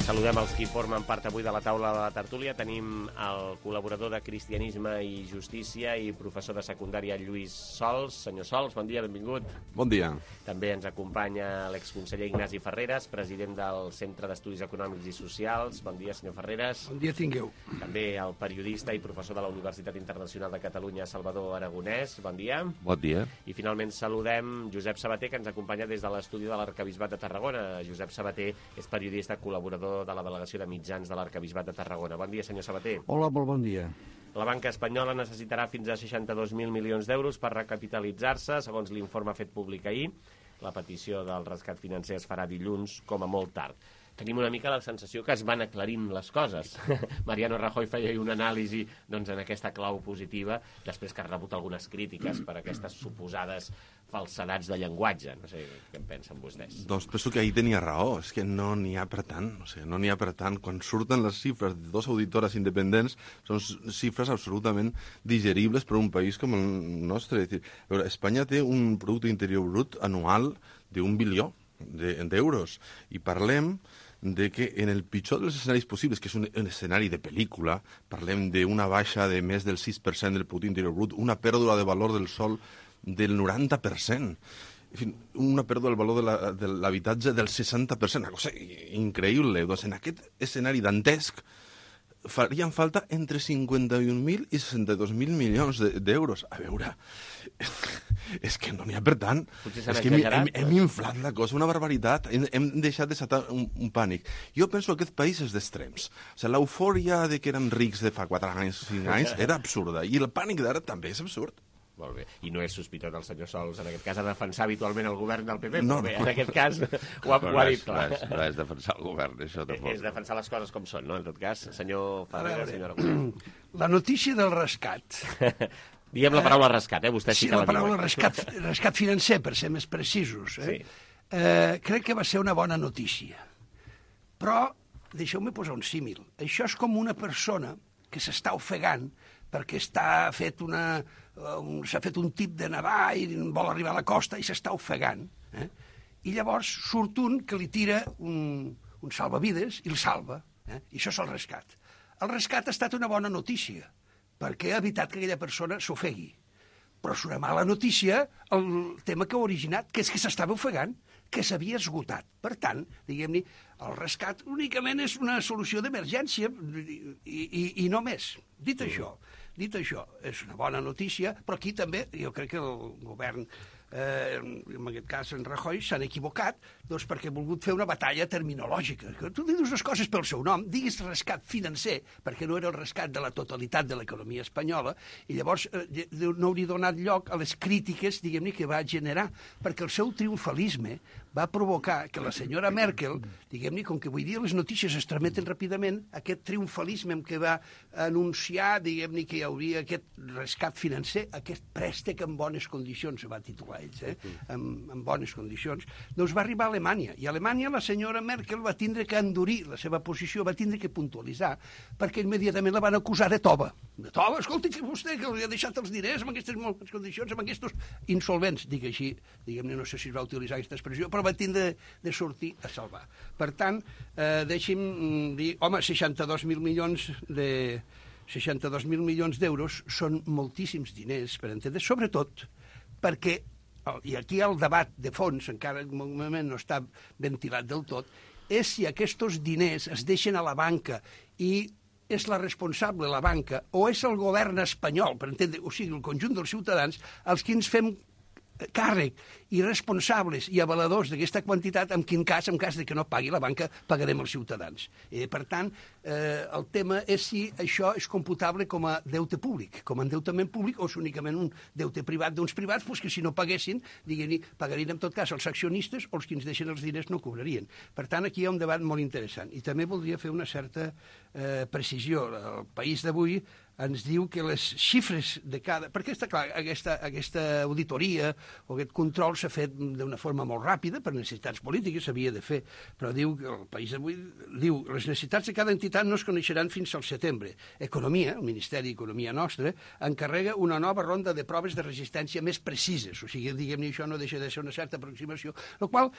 I saludem els qui formen part avui de la taula de la tertúlia. Tenim el col·laborador de Cristianisme i Justícia i professor de secundària Lluís Sols. Senyor Sols, bon dia, benvingut. Bon dia. També ens acompanya l'exconseller Ignasi Ferreres, president del Centre d'Estudis Econòmics i Socials. Bon dia, senyor Ferreres. Bon dia tingueu. També el periodista i professor de la Universitat Internacional de Catalunya, Salvador Aragonès. Bon dia. Bon dia. I finalment saludem Josep Sabater, que ens acompanya des de l'estudi de l'Arquebisbat de Tarragona. Josep Sabater és periodista col·laborador de la Delegació de Mitjans de l'Arquebisbat de Tarragona. Bon dia, senyor Sabater. Hola, molt bon dia. La banca espanyola necessitarà fins a 62.000 milions d'euros per recapitalitzar-se, segons l'informe fet públic ahir. La petició del rescat financer es farà dilluns, com a molt tard. Tenim una mica la sensació que es van aclarint les coses. Mariano Rajoy feia una anàlisi en aquesta clau positiva, després que ha rebut algunes crítiques per aquestes suposades falsedats de llenguatge. No sé què en pensen vostès. Doncs penso que ahir tenia raó, és que no n'hi ha per tant. O sigui, no n'hi ha per tant. Quan surten les xifres de 2 auditores independents, són xifres absolutament digeribles per un país com el nostre. És dir, Espanya té un producte interior brut anual d'1 bilió d'euros. I parlem de que en el pitjor dels escenaris possibles, que és un escenari de pel·lícula, parlem d'una baixa de més del 6% del producte interior brut, una pèrdua de valor del sòl del 90%, en fi, una pèrdua del valor de l'habitatge del 60%, una cosa increïble. Doncs en aquest escenari dantesc farien falta entre 51.000 i 62.000 milions d'euros. A veure, és que no n'hi ha per tant. És que hem inflat la cosa, una barbaritat. Hem deixat de desatar un pànic. Jo penso que aquest país és d'extrems. O sigui, l'eufòria de que érem rics de fa 4 anys, 5 anys, era absurda. I el pànic d'ara també és absurd. Molt bé. I no és sospitós el senyor Sols, en aquest cas, a defensar habitualment el govern del PP, no, però bé, en aquest cas ho ha dit clar. No és defensar el govern, això tampoc. És defensar les coses com són, no? En tot cas, senyor Ferreres, senyor Aragonès. La notícia del rescat. Diguem la paraula rescat, vostè sí que la diu. Sí, la paraula rescat financer, per ser més precisos. Sí. Crec que va ser una bona notícia. Però, deixeu-me posar un símil. Això és com una persona que s'està ofegant perquè s'ha fet un tip de nedar i vol arribar a la costa i s'està ofegant. I llavors surt un que li tira un un salvavides i el salva. I això és el rescat. El rescat ha estat una bona notícia, perquè ha evitat que aquella persona s'ofegui. Però és una mala notícia el tema que ha originat, que és que s'estava ofegant, que s'havia esgotat. Per tant, diguem-ne, el rescat únicament és una solució d'emergència i no més. Dit això, és una bona notícia, però aquí també jo crec que el govern, en aquest cas en Rajoy, s'han equivocat doncs perquè ha volgut fer una batalla terminològica. Tu dius les coses pel seu nom, diguis rescat financer, perquè no era el rescat de la totalitat de l'economia espanyola, i llavors no hauria donat lloc a les crítiques, diguem-ne, que va generar, perquè el seu triomfalisme va provocar que la senyora Merkel, diguem-ne, com que avui dia les notícies es trameten ràpidament, aquest triomfalisme amb què va anunciar, diguem-ne, que hi hauria aquest rescat financer, aquest préstec en bones condicions, se va titular ells, en bones condicions, doncs va arribar a Alemanya. I a Alemanya la senyora Merkel va tindre que endurir la seva posició, va tindre que puntualitzar, perquè immediatament la van acusar de tova. De tova, escolti, que vostè que li ha deixat els diners en aquestes bones condicions, amb aquests insolvents, dic així, diguem-ne, no sé si es va utilitzar aquesta expressió, però va tindre de sortir a salvar. Per tant, deixi'm dir, home, 62.000 milions d'euros són moltíssims diners, per entendre, sobretot perquè, i aquí el debat de fons, encara en un moment no està ventilat del tot, és si aquests diners es deixen a la banca i és la responsable la banca o és el govern espanyol, per entendre, o sigui, el conjunt dels ciutadans, els que ens fem càrrec i responsables i avaladors d'aquesta quantitat, en quin cas, en cas de que no pagui la banca, pagarem els ciutadans. Per tant, el tema és si això és computable com a deute públic, com a endeutament públic, o és únicament un deute privat d'uns privats, doncs que si no paguessin, diguem-ne, pagarien en tot cas els accionistes o els que ens deixen els diners no cobrarien. Per tant, aquí hi ha un debat molt interessant. I també voldria fer una certa precisió. El País d'avui ens diu que les xifres de cada... Perquè està clar, aquesta auditoria o aquest control s'ha fet d'una forma molt ràpida, per necessitats polítiques s'havia de fer, però diu que el País d'avui diu les necessitats de cada entitat no es coneixeran fins al setembre. Economia, el Ministeri d'Economia nostre, encarrega una nova ronda de proves de resistència més precises. O sigui, diguem-ne, això no deixa de ser una certa aproximació, el qual...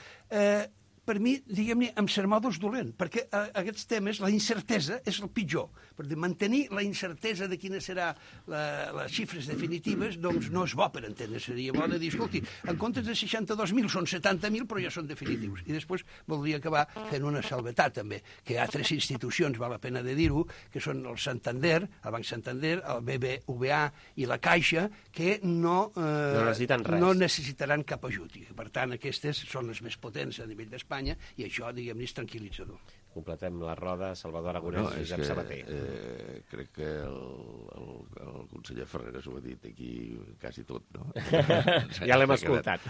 per mi, diguem-ne, em sermó dos dolent, perquè aquests temes, la incertesa és el pitjor. Per mantenir la incertesa de quines seran les xifres definitives, doncs no és bo per entendre. Seria bo de dir, escolti, en comptes de 62.000 són 70.000, però ja són definitius. I després voldria acabar fent una salvetat, també, que hi ha 3 institucions, val la pena de dir-ho, que són el Santander, el Banc Santander, el BBVA i la Caixa, que no necessitaran cap ajut. I, per tant, aquestes són les més potents a nivell d'Espanya, i això, diguem-ne, és tranquil·litzador. Completem la roda, Salvador Aragonès i Josep Sabater. Crec que el conseller Ferreras ho ha dit aquí quasi tot, no? Ja l'hem escoltat.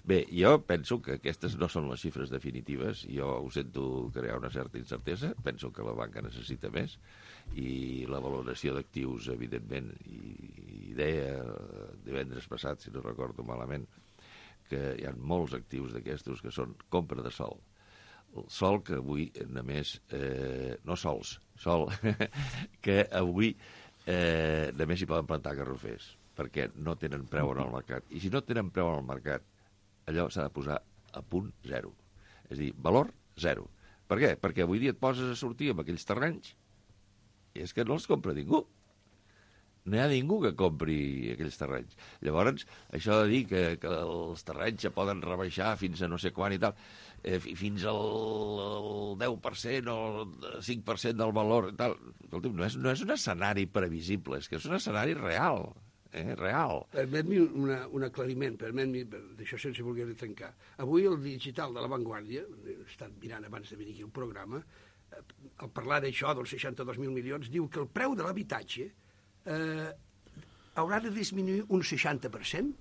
Bé, jo penso que aquestes no són les xifres definitives, jo ho sento crear una certa incertesa, penso que la banca necessita més, i la valoració d'actius, evidentment, i deia divendres passat, si no recordo malament, que hi ha molts actius d'aquestos que són compra de sol. El sol que avui només... no sols, sol que avui només hi poden plantar garrofers, perquè no tenen preu en el mercat. I si no tenen preu en el mercat, allò s'ha de posar a punt zero. És a dir, valor zero. Per què? Perquè avui dia et poses a sortir amb aquells terrenys i és que no els compra ningú. No hi ha ningú que compri aquells terrenys. Llavors, això de dir que els terrenys ja poden rebaixar fins a no sé quan i tal, fins al 10% o el 5% del valor i tal, escolti'm, no és un escenari previsible, és que és un escenari real. Real. Permet-me un aclariment, d'això sense voler trencar. Avui el digital de La Vanguardia, he estat mirant abans de venir aquí al programa, al parlar d'això, dels 62.000 milions, diu que el preu de l'habitatge haurà de disminuir un 60%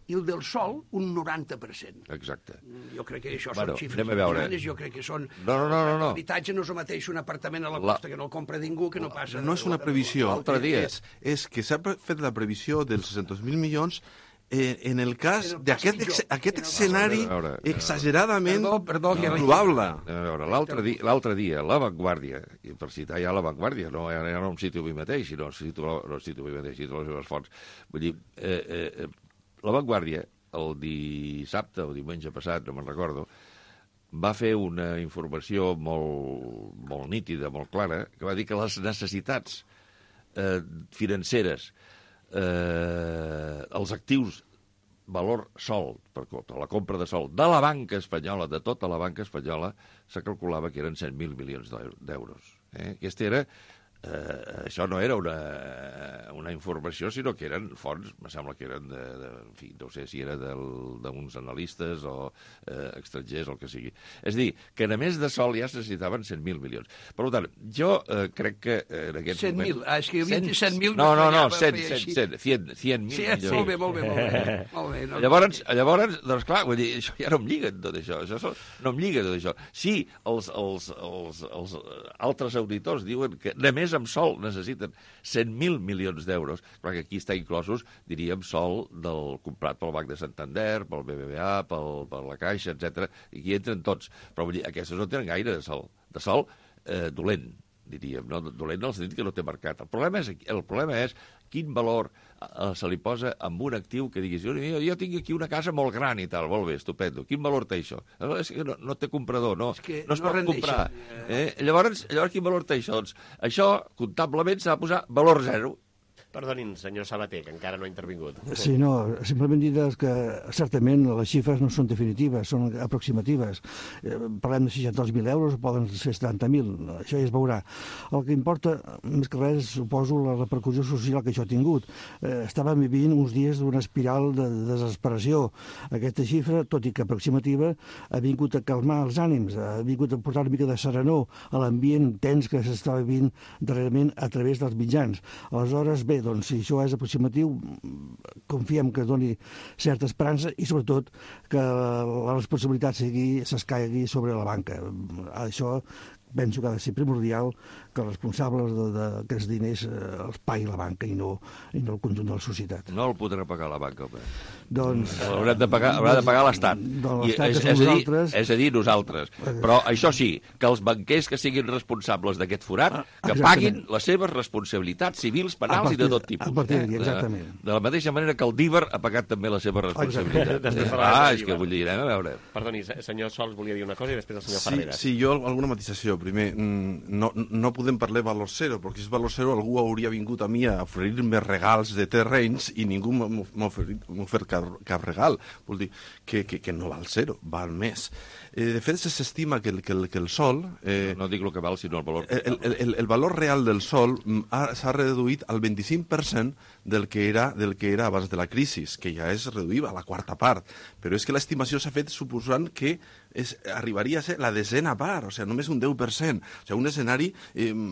i el del sol un 90%. Exacte. Jo crec que això són xifres importants, jo crec que són... No. L'habitatge no és el mateix un apartament a la costa que no el compra ningú, que no passa... No és una previsió, dia. És que s'ha fet la previsió dels 600.000 milions en el cas d'aquest escenari exageradament improbable. L'altre dia, La Vanguardia, i per citar ja La Vanguardia, no em cito a mi mateix, sinó cito les meves fonts. Vull dir, La Vanguardia, el dissabte o diumenge passat, no me'n recordo, va fer una informació molt nítida, molt clara, que va dir que les necessitats financeres, els actius valor sol, per la compra de sol, de la banca espanyola, de tota la banca espanyola, se calculava que eren 100.000 milions d'euros. Aquesta era... això no era una informació, sinó que eren fonts, me sembla que eren en fi, no sé si era d'uns analistes o estrangers o el que sigui. És a dir, que a més de sol ja es necessitaven 100.000 milions. Per tant, jo crec que en aquest 100.000, és que hi havia 100.000... No, 100.000 milions. Molt bé. Llavors, doncs clar, vull dir, això ja no em lliga tot això, no em lliga tot això. Sí, els altres auditors diuen que només amb sol necessiten 100.000 milions d'euros, perquè aquí està inclosos, diríem, sol del comprat pel Banc de Santander, pel BBVA, per la Caixa, etc. I aquí entren tots. Però vull dir, aquestes no tenen gaire de sol. De sol dolent, diríem. No? Dolent en el sentit que no té mercat. El problema és quin valor se li posa amb un actiu que diguis, jo tinc aquí una casa molt gran i tal, molt bé, estupendo. Quin valor té això? És que no té comprador, no es pot comprar. Llavors, quin valor té això? Doncs això, comptablement, s'ha de posar valor zero. Perdonin, senyor Sabater, que encara no ha intervingut. Sí, no, simplement dir que certament les xifres no són definitives, són aproximatives. Parlem de 62.000 euros, poden ser 70.000, això ja es veurà. El que importa, més que res, suposo, la repercussió social que això ha tingut. Estàvem vivint uns dies d'una espiral de desesperació. Aquesta xifra, tot i que aproximativa, ha vingut a calmar els ànims, ha vingut a portar una mica de serenor a l'ambient tens que s'està vivint darrerament a través dels mitjans. Aleshores, bé, doncs, si això és aproximatiu, confiem que doni certa esperança i, sobretot, que la responsabilitat s'escaigui sobre la banca. Això penso que ha de ser primordial que els responsables d'aquests diners els pagui la banca i no el conjunt de la societat. No el podrà pagar la banca, home. Doncs... Haurà de pagar l'Estat. És a dir, nosaltres. Però això sí, que els banquers que siguin responsables d'aquest forat, que paguin les seves responsabilitats civils, penals i de tot tipus. A partir d'aquí, exactament. De la mateixa manera que el DIVER ha pagat també la seva responsabilitat. És que vull dir, anem a veure. Perdoni, senyor Sols volia dir una cosa i després el senyor Ferreras. Sí, jo alguna matisació. Primer, no podem parlar de valor zero, perquè si és valor zero algú hauria vingut a mi a oferir-me regals de terrenys i ningú m'ha ofert cap regal. Vol dir que no val zero, val més. De fet, s'estima que el sol... No dic el que val, sinó el valor. El valor real del sol s'ha reduït al 25% del que era abans de la crisi, que ja és reduïda a la quarta part. Però és que l'estimació s'ha fet suposant que arribaria a ser la desena part, o sigui, només un 10%. O sigui, un escenari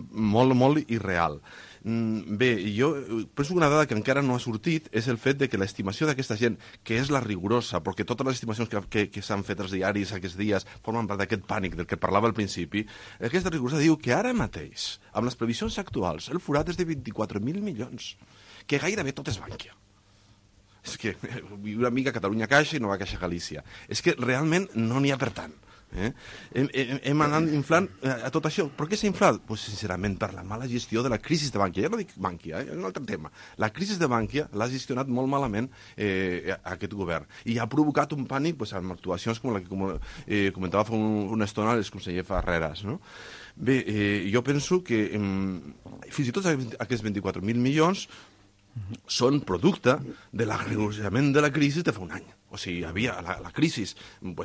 molt irreal. Bé, jo penso que una dada que encara no ha sortit és el fet de que l'estimació d'aquesta gent, que és la rigorosa, perquè totes les estimacions que s'han fet als diaris aquests dies formen part d'aquest pànic del que parlava al principi, aquesta rigorosa diu que ara mateix, amb les previsions actuals, el forat és de 24.000 milions, que gairebé tot és Bankia. És que una mica Catalunya Caixa i Nova Caixa Galícia. És que realment no n'hi ha per tant. Hem anat inflant a tot això. Per què s'ha inflat? Pues, sincerament, per la mala gestió de la crisi de Bankia. Ja no dic Bankia, és un altre tema. La crisi de Bankia l'ha gestionat molt malament aquest govern. I ha provocat un pànic amb actuacions com la que comentava fa una estona el conseller Ferreras. No? Bé, jo penso que fins i tot aquests 24.000 milions són producte de l'agreujament de la crisi de fa un any. O sigui, la crisi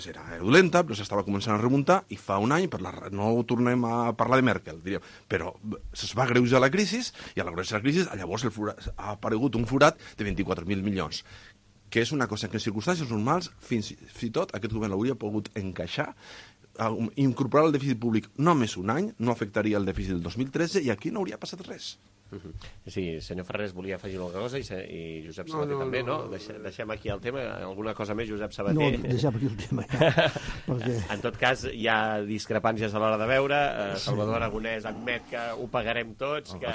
era dolenta, però s'estava començant a remuntar, i fa un any, no tornem a parlar de Merkel, diríem, però es va agreujar la crisi, i a l'agreujar la crisi, llavors ha aparegut un forat de 24.000 milions, que és una cosa que en circumstàncies normals, fins i tot, aquest govern hauria pogut encaixar, incorporar el dèficit públic només un any, no afectaria el dèficit del 2013, i aquí no hauria passat res. Sí, senyor Ferrés volia afegir alguna cosa i Josep Sabater també, no? Deixem aquí el tema. Alguna cosa més, Josep Sabater? No, deixem aquí el tema, ja. Perquè... En tot cas, hi ha discrepàncies a l'hora de veure. Salvador Aragonès admet que ho pagarem tots, que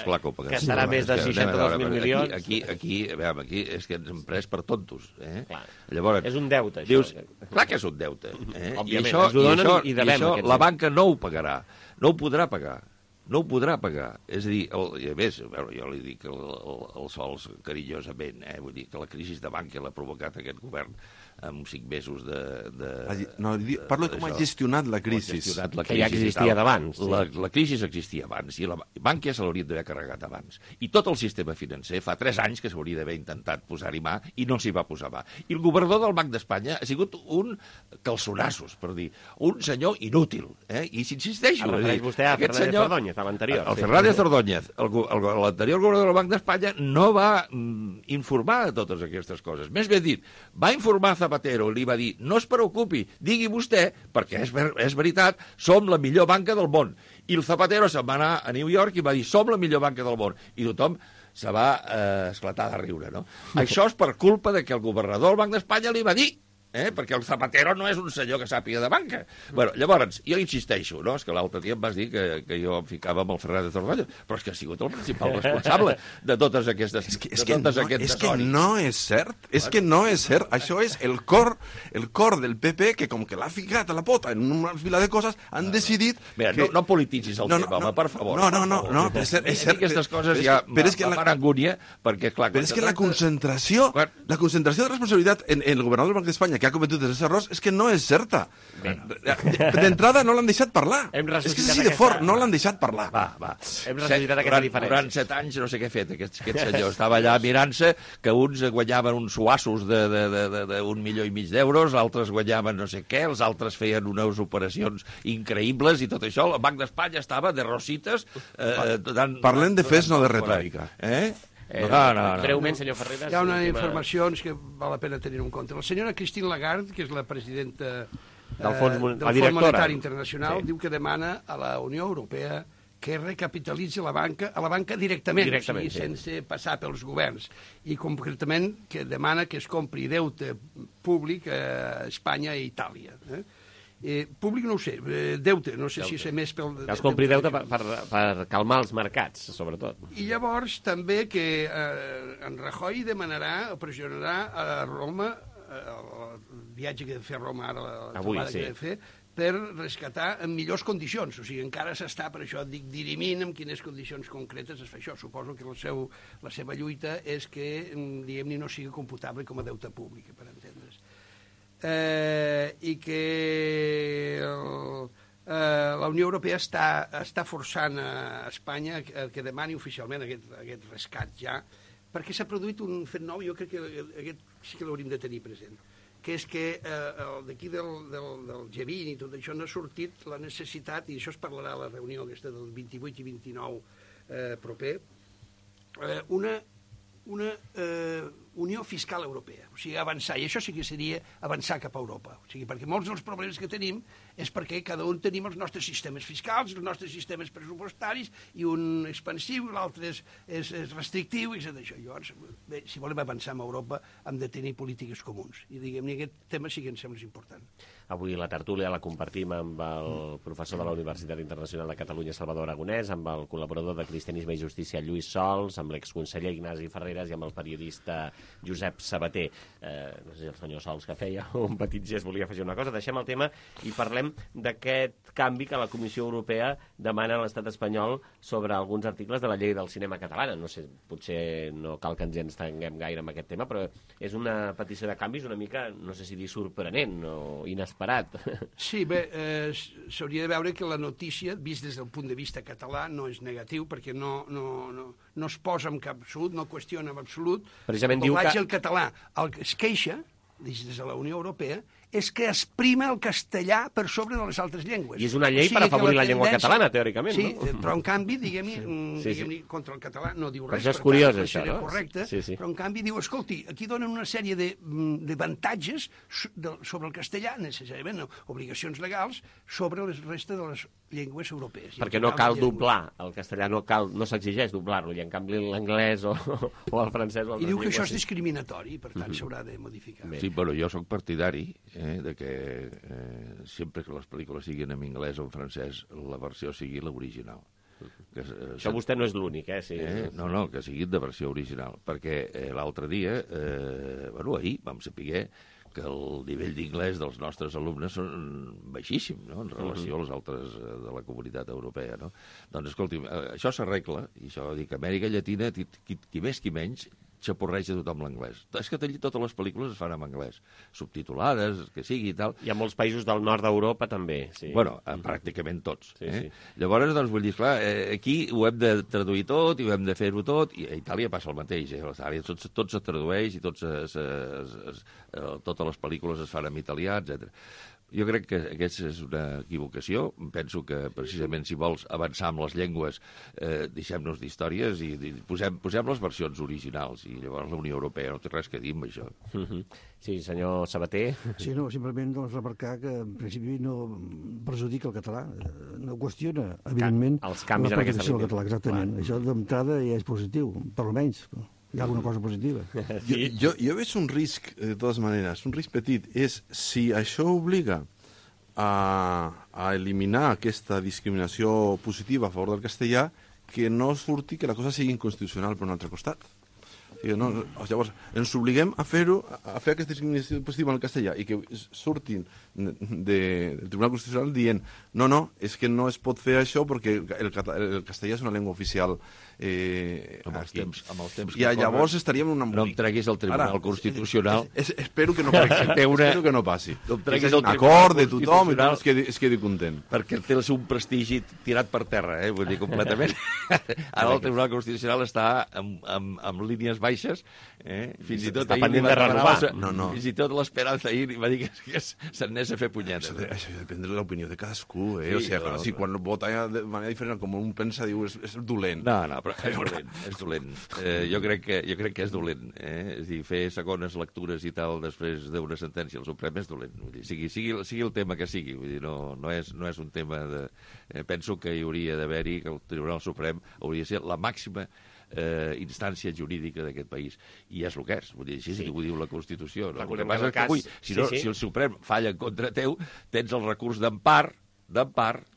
serà més de 62.000 milions. Aquí és que ens hem pres per tontos. Llavors, és un deute, això. Dius, clar que és un deute. Òbviament, ens ho donen i devem. I això la banca no ho pagarà, no ho podrà pagar. no ho podrà pagar. És a dir, i a més, jo li dic el sols carinyosament, vull dir que la crisi de Bankia l'ha provocat aquest govern amb 5 mesos de... No, parlo com ha gestionat la crisi. Que ja existia d'abans. La crisi existia abans, i la Bankia se l'hauria d'haver carregat abans. I tot el sistema financer fa 3 anys que s'hauria d'haver intentat posar-hi mà i no s'hi va posar mà. I el governador del Banc d'Espanya ha sigut un calçonassos, per dir, un senyor inútil. I s'insisteixo. El refereix vostè a Fernández Ordóñez, a l'anterior. El Fernández Ordóñez, l'anterior governador del Banc d'Espanya, no va informar de totes aquestes coses. Més ben dit, va informar Zapatero, li va dir, no es preocupi, digui vostè, perquè és veritat, som la millor banca del món. I el Zapatero se'n va anar a New York i va dir, som la millor banca del món. I tothom se va esclatar de riure, no? Això és per culpa de que el governador del Banc d'Espanya li va dir, perquè el Zapatero no és un senyor que sàpiga de banca. Bueno, llavors, jo insisteixo, no? És que l'altre dia em vas dir que jo em ficava amb el Fernández Ordóñez, però és que ha sigut el principal responsable de totes aquestes... És que no és cert, Això és el cor del PP, que com que l'ha ficat a la pota en una fila de coses, han decidit... Mira, no polititzis el tema, home, per favor. No, és cert. Aquestes coses ja fan angúnia, perquè, clar... Però és que la concentració de responsabilitat en el governador del Banc d'Espanya, que ha cometut els errors, és que no és certa. D'entrada no l'han deixat parlar. És que és així de fort, no l'han deixat parlar. Hem ressuscitat aquesta diferència. Durant 7 anys no sé què ha fet aquest senyor. Estava allà mirant-se que uns guanyaven uns suassos d'1,5 milió d'euros, altres guanyaven no sé què, els altres feien unes operacions increïbles i tot això. El Banc d'Espanya estava de rosites... Parlem de fets, no de retòrica. Breument, senyor Ferreras. Hi ha unes informacions que val la pena tenir en compte. La senyora Christine Lagarde, que és la presidenta del Fons Monetari Internacional, diu que demana a la Unió Europea que recapitalitzi a la banca directament, o sigui, sense passar pels governs. I concretament que demana que es compri deute públic a Espanya i Itàlia. Públic no ho sé, deute, no sé si és més pel... Es compri deute per calmar els mercats, sobretot. I llavors també que en Rajoy demanarà o pressionarà a Roma, el viatge que ha de fer a Roma ara, la trobada que ha de fer, per rescatar en millors condicions. O sigui, encara s'està, per això dic, dirimint en quines condicions concretes es fa això. Suposo que la seva lluita és que, diguem-ne, no sigui computable com a deute públic, per entendre's. I que la Unió Europea està forçant a Espanya que demani oficialment aquest rescat ja, perquè s'ha produït un fet nou, jo crec que aquest sí que l'hauríem de tenir present, que és que d'aquí del G20 i tot això no ha sortit la necessitat, i això es parlarà a la reunió aquesta del 28 i 29 proper, una unió fiscal europea, o sigui, avançar, i això sí que seria avançar cap a Europa, o sigui, perquè molts dels problemes que tenim és perquè cada un tenim els nostres sistemes fiscals, els nostres sistemes pressupostaris, i un expansiu, l'altre és restrictiu, i això. Llavors, bé, si volem avançar en Europa, hem de tenir polítiques comuns, i diguem-ne, aquest tema sí que em sembla important. Avui la tertúlia la compartim amb el professor de la Universitat Internacional de Catalunya, Salvador Aragonès, amb el col·laborador de Cristianisme i Justícia, Lluís Sols, amb l'exconseller Ignasi Ferreras i amb el periodista Josep Sabater. No sé si el senyor Sols, que feia un petit gest, volia afegir una cosa. Deixem el tema i parlem d'aquest canvi que la Comissió Europea demana a l'estat espanyol sobre alguns articles de la llei del cinema catalana. No sé, potser no cal que ens entenguem gaire amb aquest tema, però és una petició de canvis una mica, no sé si dir sorprenent o inesperat. Sí, bé, s'hauria de veure que la notícia, vist des del punt de vista català, no és negatiu, perquè no es posa en cap absolut, no qüestiona en absolut precisament el doblatge al català. El que es queixa, des de la Unió Europea, és que es prima el castellà per sobre de les altres llengües. I és una llei per afavorir la llengua catalana, teòricament, sí, no? Però en canvi, diguem-ne, contra el català no diu res. Això és curiós, això, no? Correcte, però en canvi diu, escolti, aquí donen una sèrie d'avantatges sobre el castellà, necessàriament, obligacions legals, sobre la resta de les llengües europees. Perquè no cal doblar el castellà, no s'exigeix doblar-lo, i en canvi l'anglès o el francès o altres llengües... I diu que això és discriminatori, per tant s'haurà de modificar. Sí, però jo sóc partidari de que sempre que les pel·lícules siguin en anglès o en francès, la versió sigui l'original. Això vostè no és l'únic, Sí. No, que sigui de versió original, perquè l'altre dia, ahir vam saber que el nivell d'inglès dels nostres alumnes són baixíssim, no?, en relació als altres de la comunitat europea, no? Doncs, escolti, això s'arregla, i això dic, Amèrica Llatina, qui més qui menys, xaporreja tothom l'anglès. És que allí totes les pel·lícules es fan en anglès, subtitulades, que sigui i tal. Hi ha molts països del nord d'Europa també, sí. Bueno, pràcticament tots. Llavors, doncs, vull dir, clar, aquí ho hem de traduir tot i ho hem de fer-ho tot, i a Itàlia passa el mateix, a Itàlia tot se tradueix i totes les pel·lícules es fan en italià, etc. Jo crec que aquesta és una equivocació. Penso que, precisament, si vols avançar amb les llengües, deixem-nos d'històries i posem les versions originals. I llavors la Unió Europea no té res que dir amb això. Sí, senyor Sabater. Sí, no, simplement remarcar que, en principi, no perjudica el català. No qüestiona, evidentment, els canvis en aquesta línia. Català, exactament. Això d'entrada ja és positiu, per almenys. Hi ha alguna cosa positiva. Jo veig un risc, de totes maneres, un risc petit, és si això obliga a eliminar aquesta discriminació positiva a favor del castellà, que no surti que la cosa sigui inconstitucional per un altre costat. Llavors, ens obliguem a fer aquesta discriminació positiva en el castellà i que surtin del Tribunal Constitucional dient no, és que no es pot fer això perquè el castellà és una llengua oficial amb els temps i llavors estaríem en un embolic. No em treguis el Tribunal Constitucional. Espero que no passi. No em treguis el acord de tothom i tothom es quedi content. Perquè té el seu prestigi tirat per terra, vull dir, completament. Ara el Tribunal Constitucional està amb línies baixes, fins i tot està pendent de renovar. Fins i tot l'Esperanza ahir va dir que se'n anés a fer punyetes. Això depèn de l'opinió de cadascú, o sigui, si quan vota de manera diferent, com un pensa, diu, és dolent. No, però és dolent. Jo crec que és dolent. És a dir, fer segones lectures i tal després d'una sentència al Suprem és dolent. Vull dir, sigui el tema que sigui. Vull dir, no és un tema de... Penso que hi hauria d'haver-hi, que el Tribunal Suprem hauria de ser la màxima instància jurídica d'aquest país. I és el que és. Vull dir, així ho diu la Constitució. No? El que passa és que avui, si el Suprem falla en contra teu, tens el recurs d'empar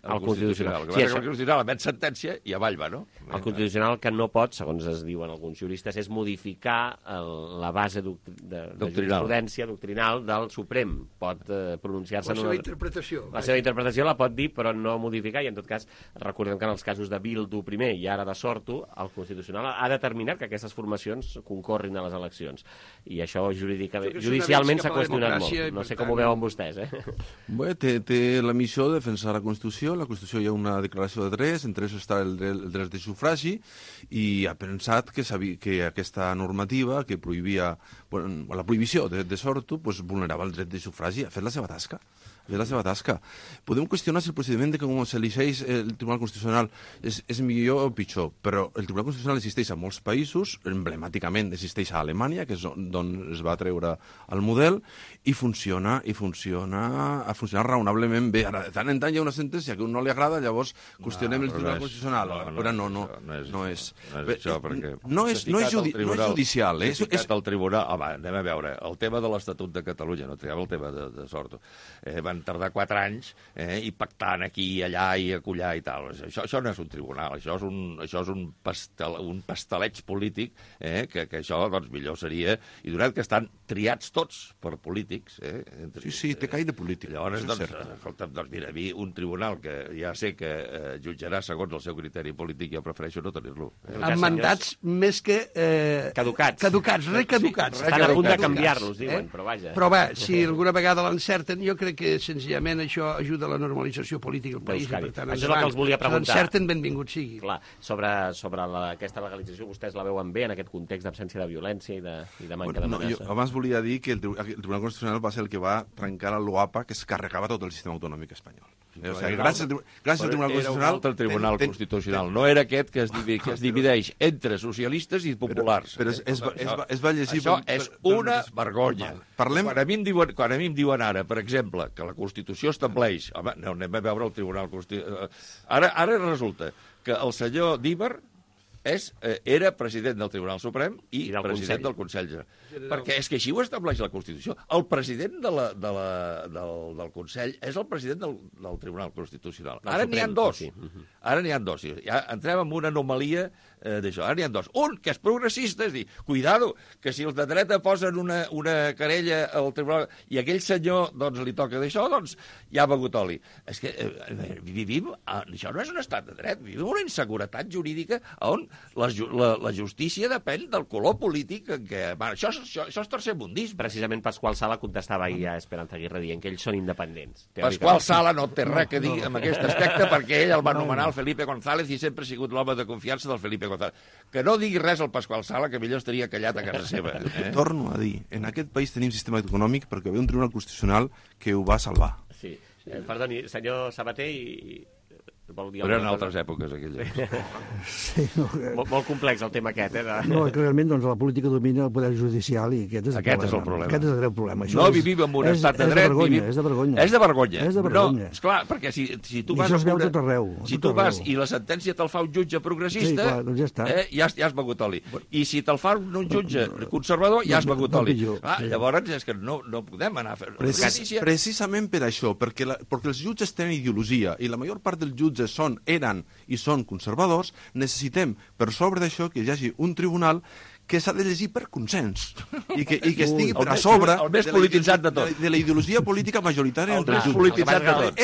al Constitucional. El Constitucional emet sentència i avall va, no? El Constitucional que no pot, segons es diuen alguns juristes, és modificar la base de jurisprudència doctrinal del Suprem. Pot pronunciar-se... La seva interpretació. La seva interpretació la pot dir, però no modificar, i en tot cas recordem que en els casos de Bildu primer i ara de Sortu, el Constitucional ha determinat que aquestes formacions concorrin a les eleccions. I això judicialment s'ha qüestionat molt. No sé com ho veuen vostès, Bé, té la missió de defensar la Constitució. La Constitució hi ha una declaració de drets, entre ells està el dret de sufragi, i ha pensat que aquesta normativa que prohibia, la prohibició de Sortu, vulnerava el dret de sufragi. Ha fet la seva tasca. Podem qüestionar si el procediment de com s'elegeix el Tribunal Constitucional és millor o pitjor, però el Tribunal Constitucional existeix a molts països, emblemàticament existeix a Alemanya, que és d'on es va treure el model, i funciona raonablement bé. Ara, de tant en tant hi ha una sentència que a un no li agrada, llavors qüestionem el Tribunal Constitucional. Però no és això, perquè... No és judicial, el Tribunal... Home, anem a veure, el tema de l'Estatut de Catalunya, no triava el tema de Sortu. Van tardar 4 anys i pactant aquí i allà i acollar i tal. Això no és un tribunal, això és un pasteleig polític, que això doncs millor seria, i donat que estan triats tots per polítics. Sí, té caire de polític. Llavors, doncs mira, a mi un tribunal que ja sé que jutjarà segons el seu criteri polític, jo prefereixo no tenir-lo. Amb mandats més que... Caducats, recaducats. Estan a punt de canviar-los, diuen, però vaja. Però va, si alguna vegada l'encerten, jo crec que senzillament això ajuda a la normalització política del país. Per tant, això és el que els volia preguntar. Si l'encerten, benvingut sigui. Clar, sobre aquesta legalització, vostès la veuen bé en aquest context d'absència de violència i de manca d'amenaça? Jo abans volia dir que el Tribunal Constitucional va ser el que va trencar el LOAPA, que es carregava tot el sistema autonòmic espanyol. Gràcies al Tribunal Constitucional... Era un altre Tribunal Constitucional. No era aquest que es divideix entre socialistes i populars. Però es va llegir... Això és una vergonya. Quan a mi em diuen ara, per exemple, que la Constitució estableix... Home, no anem a veure el Tribunal Constitucional... Ara resulta que el senyor Díbar era president del Tribunal Suprem i president del Consell General. Perquè és que així ho estableix la Constitució. El president del Consell és el president del Tribunal Constitucional. Ara n'hi ha dos. Ja entrem en una anomalia d'això. Ara n'hi ha dos. Un, que és progressista, és dir, cuidado, que si els de dreta posen una querella al tribunal i aquell senyor doncs, li toca d'això, doncs ja ha begut oli. És que vivim... Això no és un estat de dret, vivim una inseguretat jurídica on la justícia depèn del color polític en què... Això és tercermundisme. Precisament Pasqual Sala contestava ahir a Esperanza Aguirre dient que ells són independents. Pasqual Sala no té res a dir en aquest aspecte perquè ell el va nomenar el Felipe González i sempre ha sigut l'home de confiança del Felipe González. Que no digui res al Pasqual Sala, que millor estaria callat a casa seva. Torno a dir, en aquest país tenim sistema econòmic perquè hi havia un tribunal constitucional que ho va salvar. Sí. Perdoni, senyor Sabater i... Però eren altres èpoques, aquelles. Sí, no, molt complex el tema aquest, No, que realment doncs, la política domina el poder judicial i aquest és el problema. Aquest és el greu problema. No vivim en un estat de dret. És de vergonya. És de vergonya. És de vergonya. No, esclar, perquè si tu vas... I això es veu tot arreu. Si tu vas i la sentència te'l fa un jutge progressista, sí, clar, doncs ja està. Ja has begut oli. I si te'l fa un jutge conservador, ja has begut oli. Llavors és que no podem anar a fer... Precisament per això, perquè els jutges tenen ideologia i la major part dels jutges eren i són conservadors, necessitem, per sobre d'això, que hi hagi un tribunal que s'ha de llegir per consens i que estigui per a sobre de la ideologia política majoritària entre els jutges.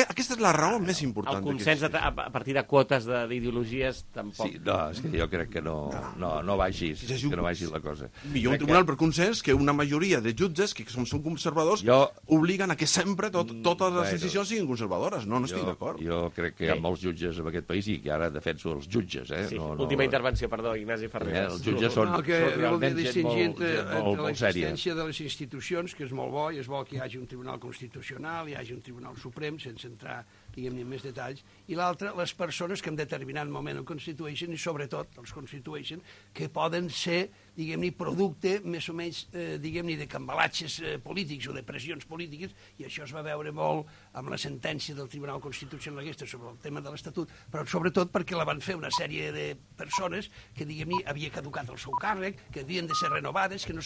Aquesta és la raó més important. El consens a partir de quotes d'ideologies tampoc... Sí, no, és que jo crec que no va així, que no va així la cosa. Millor un tribunal per consens que una majoria de jutges que són conservadors obliguen a que sempre totes les decisions siguin conservadores. No estic d'acord. Jo crec que hi ha molts jutges en aquest país i que ara defenso els jutges. Última intervenció, perdó, Ignasi Ferrer. Els jutges són... Voldria distingir entre l'existència de les institucions, que és molt bo, i és bo que hi hagi un tribunal constitucional, hi hagi un tribunal suprem, sense entrar, diguem-ne, en més detalls, i l'altre, les persones que en determinat moment ho constitueixen, i sobretot els constitueixen, que poden ser, diguem-ne, producte més o menys, diguem-ne, de cambalatges polítics o de pressions polítiques, i això es va veure molt amb la sentència del Tribunal Constitucional aquesta sobre el tema de l'Estatut, però sobretot perquè la van fer una sèrie de persones que, diguem-ne, havia caducat el seu càrrec, que havien de ser renovades, que no se